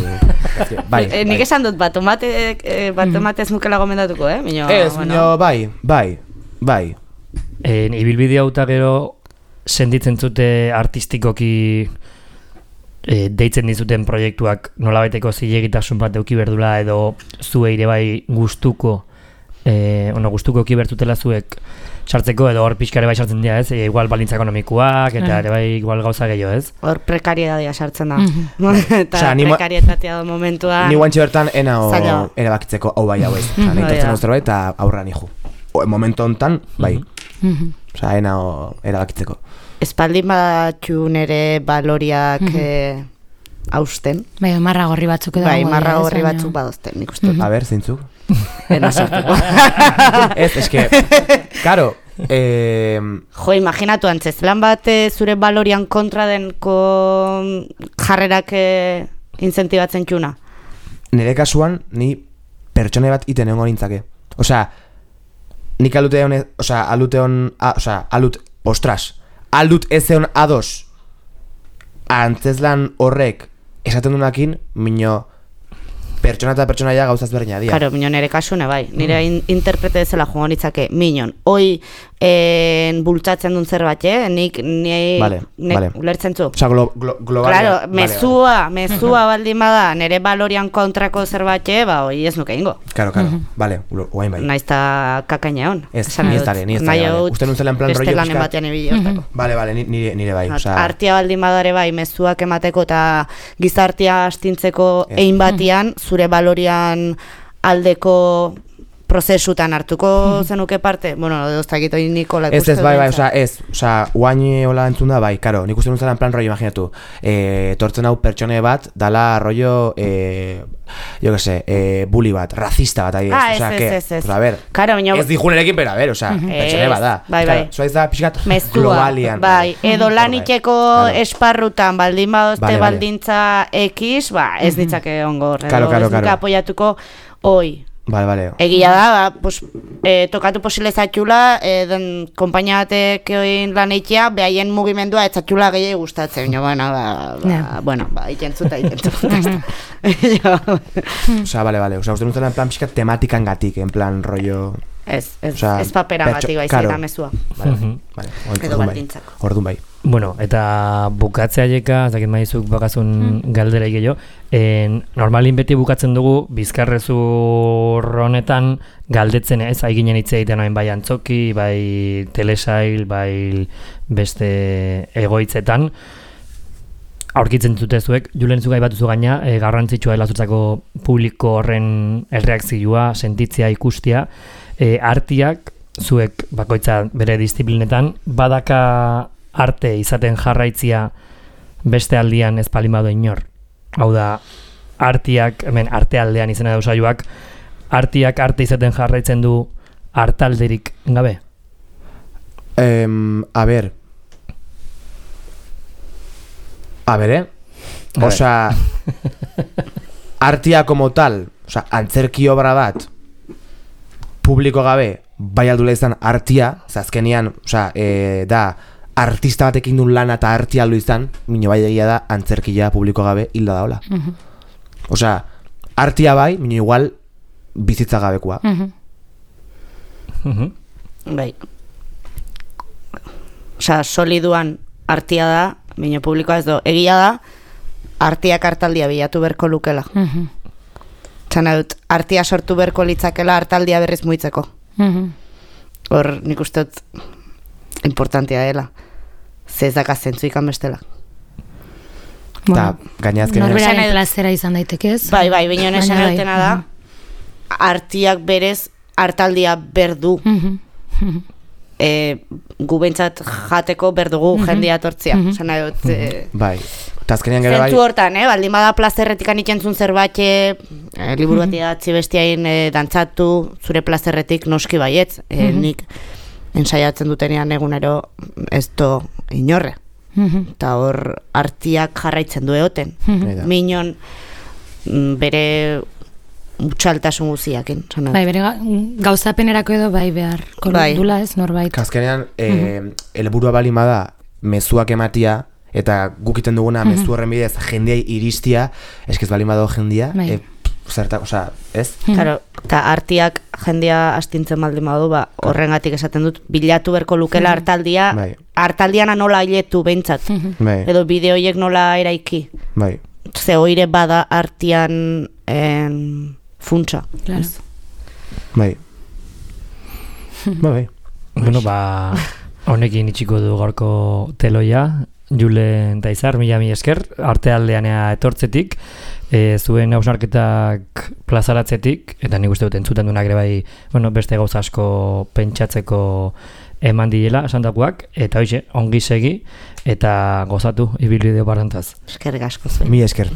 Bai, eh, nik esan dut, bat tomate, eh, bat tomate ez nukela gomendatuko, eh? Mino, ez, bueno. Mino, bai, bai, bai. En, ibilbide hauta gero senditzen zute artistikoki e, deitzen dizuten proiektuak nolabaiteko zilegitasun bat euki berdula edo zuei ere bai gustuko, e, ono, gustuko euki bertutela zuek sartzeko edo hor pixka ere bai sartzen dira, ez? E, igual balintza ekonomikoak eta ere bai igual gauza gehiago, ez? Hor prekarietatea sartzen da. Eta Osa, prekarietatea da momentua... Ni guantxe bertan ena o erabakitzeko hau bai hau ez. Osa, nahi tortzen oztero bai eta aurra nijo. Momentu hontan, bai. Osa, ena o erabakitzeko. Espaldin batxun ere baloriak hausten. Bai, marra gorri batzuk edo. Bai, marra gorri batzuk badozten, nik uste. A ber, zeintzuk? Ena sartuko. Ez, eske, karo, eh, Jo, imaginatu antzez, lan bat eh, zure balorian kontra den ko jarrerak eh, incentibatzen txuna. Nire kasuan, ni pertsone bat iten egon nintzake. Osea, nik alute hon, osea, alute hon, osea, alut, ostras, alut ez egon ados antzeslan horrek esaten dunakin, mino pertsona eta pertsonaia gauzaz berdina dira. Karo, minon ere kasune bai, nire in, interprete dezela joan nitzake, minon, hoi en, bultzatzen duen zerbait, eh? nik, ni, vale, nek, vale. ulertzen zu. Osa, glo, glo, globalia. Claro, mezua, vale, vale. mezua baldin bada, nire balorian kontrako zerbait, ba, hoi ez nuke ingo. Claro, claro, vale, guain bai. Naizta kakaina hon. Ez, ni ez dare, ni ez dare, vale. Uste nun zela en plan rollo beste lanen batean ibili hortako. Vale, vale, nire, nire bai. Osa... Artia baldin badare bai, mezuak emateko eta gizartia astintzeko egin batian, zure balorian aldeko prozesutan hartuko zenuke parte? Bueno, doztakit hori Nikola ikusten. Ez, ez, bai, bai, oza, ez, oza, guain hola entzun da, bai, karo, nik uste nuen en plan rollo, imaginatu, e, tortzen hau pertsone bat, dala rollo, e, jo que se, e, bully bat, racista bat, ahi, ah, oza, ez, que, ez, ez, oza, a ver, Karo, minio... ez dijunerekin, pero a ver, oza, pertsone bat da, bai, bai, zoa da, pixkat, mezua, globalian, bai, edo laniteko esparrutan baldin badozte vale, baldintza X, ba, ez ditzake ongo, edo claro, claro, ez nuke apoiatuko, hoi. Vale, vale. Egia da, ba, pues, e, tokatu posile zatxula, e, den kompainia batek oin lan eitea, behaien mugimendua ez zatxula gehiago gustatzen. Jo, bueno, ba, ba, yeah. bueno, ba, ikentzuta, ikentzuta. Osa, vale, vale. Osa, uste nuntzen en plan pixka tematikan gatik, en plan rollo... Ez, ez, o sea, ez papera gatik baizik eta mezua. Vale, vale. Edo baldintzako. Ordun bai. Bueno, eta bukatzea jeka, zakit maizuk bakazun mm. galdera gehiago, en, normalin beti bukatzen dugu bizkarrezur honetan galdetzen ez, haiginen hitz egiten hain bai antzoki, bai telesail, bai beste egoitzetan, aurkitzen zutezuek, Julen zugai batuzu gaina, e, garrantzitsua dela zutzako publiko horren erreakzioa, sentitzea, ikustia, e, artiak, zuek bakoitza bere disiplinetan, badaka arte izaten jarraitzia beste aldian ez palimado inor. Hau da, artiak, hemen artealdean izena da usaioak, artiak arte izaten jarraitzen du artalderik gabe? Um, a ber, a ber, eh? Osa, artia como tal, osa, antzerki obra bat, publiko gabe, bai aldula izan artia, zazkenian, osa, e, da, artista batekin duen lana eta artia aldu izan, mino bai egia da, antzerkia publiko gabe hilda daola. Uh -huh. Osa, artia bai, mino igual, bizitza gabekoa. Uh -huh. Uh -huh. Bai. Osa, soliduan artia da, mino publikoa ez do, egia da, artiak artaldia bilatu berko lukela. Uh -huh. Txana dut, artia sortu berko litzakela artaldia berriz muitzeko. Hor, uh -huh. nik uste dut importantia dela. Ze ez daka zentzu ikan bestela. Bueno, norberaren edo... plazera izan daitekez. Bai, bai, bineon esan erotena da, artiak berez hartaldia berdu. e, gu bentsat jateko berdugu jendia tortzia. Zena dut... E... Bai. Zentzu hortan, eh? Baldin bada plazerretik anikentzun zerbait e, liburu bat idatzi bestiain e, dantzatu zure plazerretik noski baietz. E, nik ensaiatzen dutenean egunero ez do inorre. Eta hor artiak jarraitzen du egoten. Minon bere utxaltasun guziakin. Bai, bere gauzapenerako edo bai behar dula ez norbait. Kaskenean, helburua baldin bada mezuak ematia, eta gukiten duguna mezu horren bidez jendeai iristia, eskez baldin badago jendia, e, zertak, oza, ez? Claro, eta artiak jendia astintzen baldin badu, ba, horrengatik esaten dut, bilatu berko lukela hartaldia, bai. Hartaldiana nola hiletu behintzat, bai. edo bideoiek nola eraiki. Bai. Ze oire bada artian en, funtsa. Claro. Bai. Ba, bai. Bueno, ba, honekin itxiko du gaurko teloia, Julen eta Izar, mila mi esker, artealdeanea etortzetik, e, zuen hausnarketak plazaratzetik, eta nik uste dut entzuten duenak ere bai, bueno, beste gauza asko pentsatzeko eman diela, esandakoak, eta hoxe, ongi segi, eta gozatu, ibilbide barrantaz. Eskerrik asko zuen. Mi esker.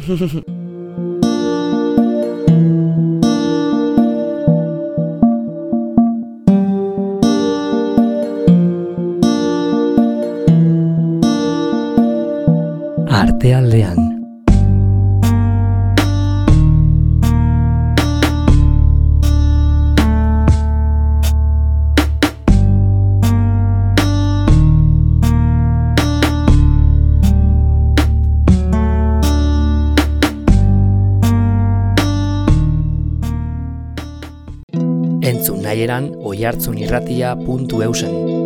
Artealdean. Entzun nahieran oihartzunirratia puntu eusen.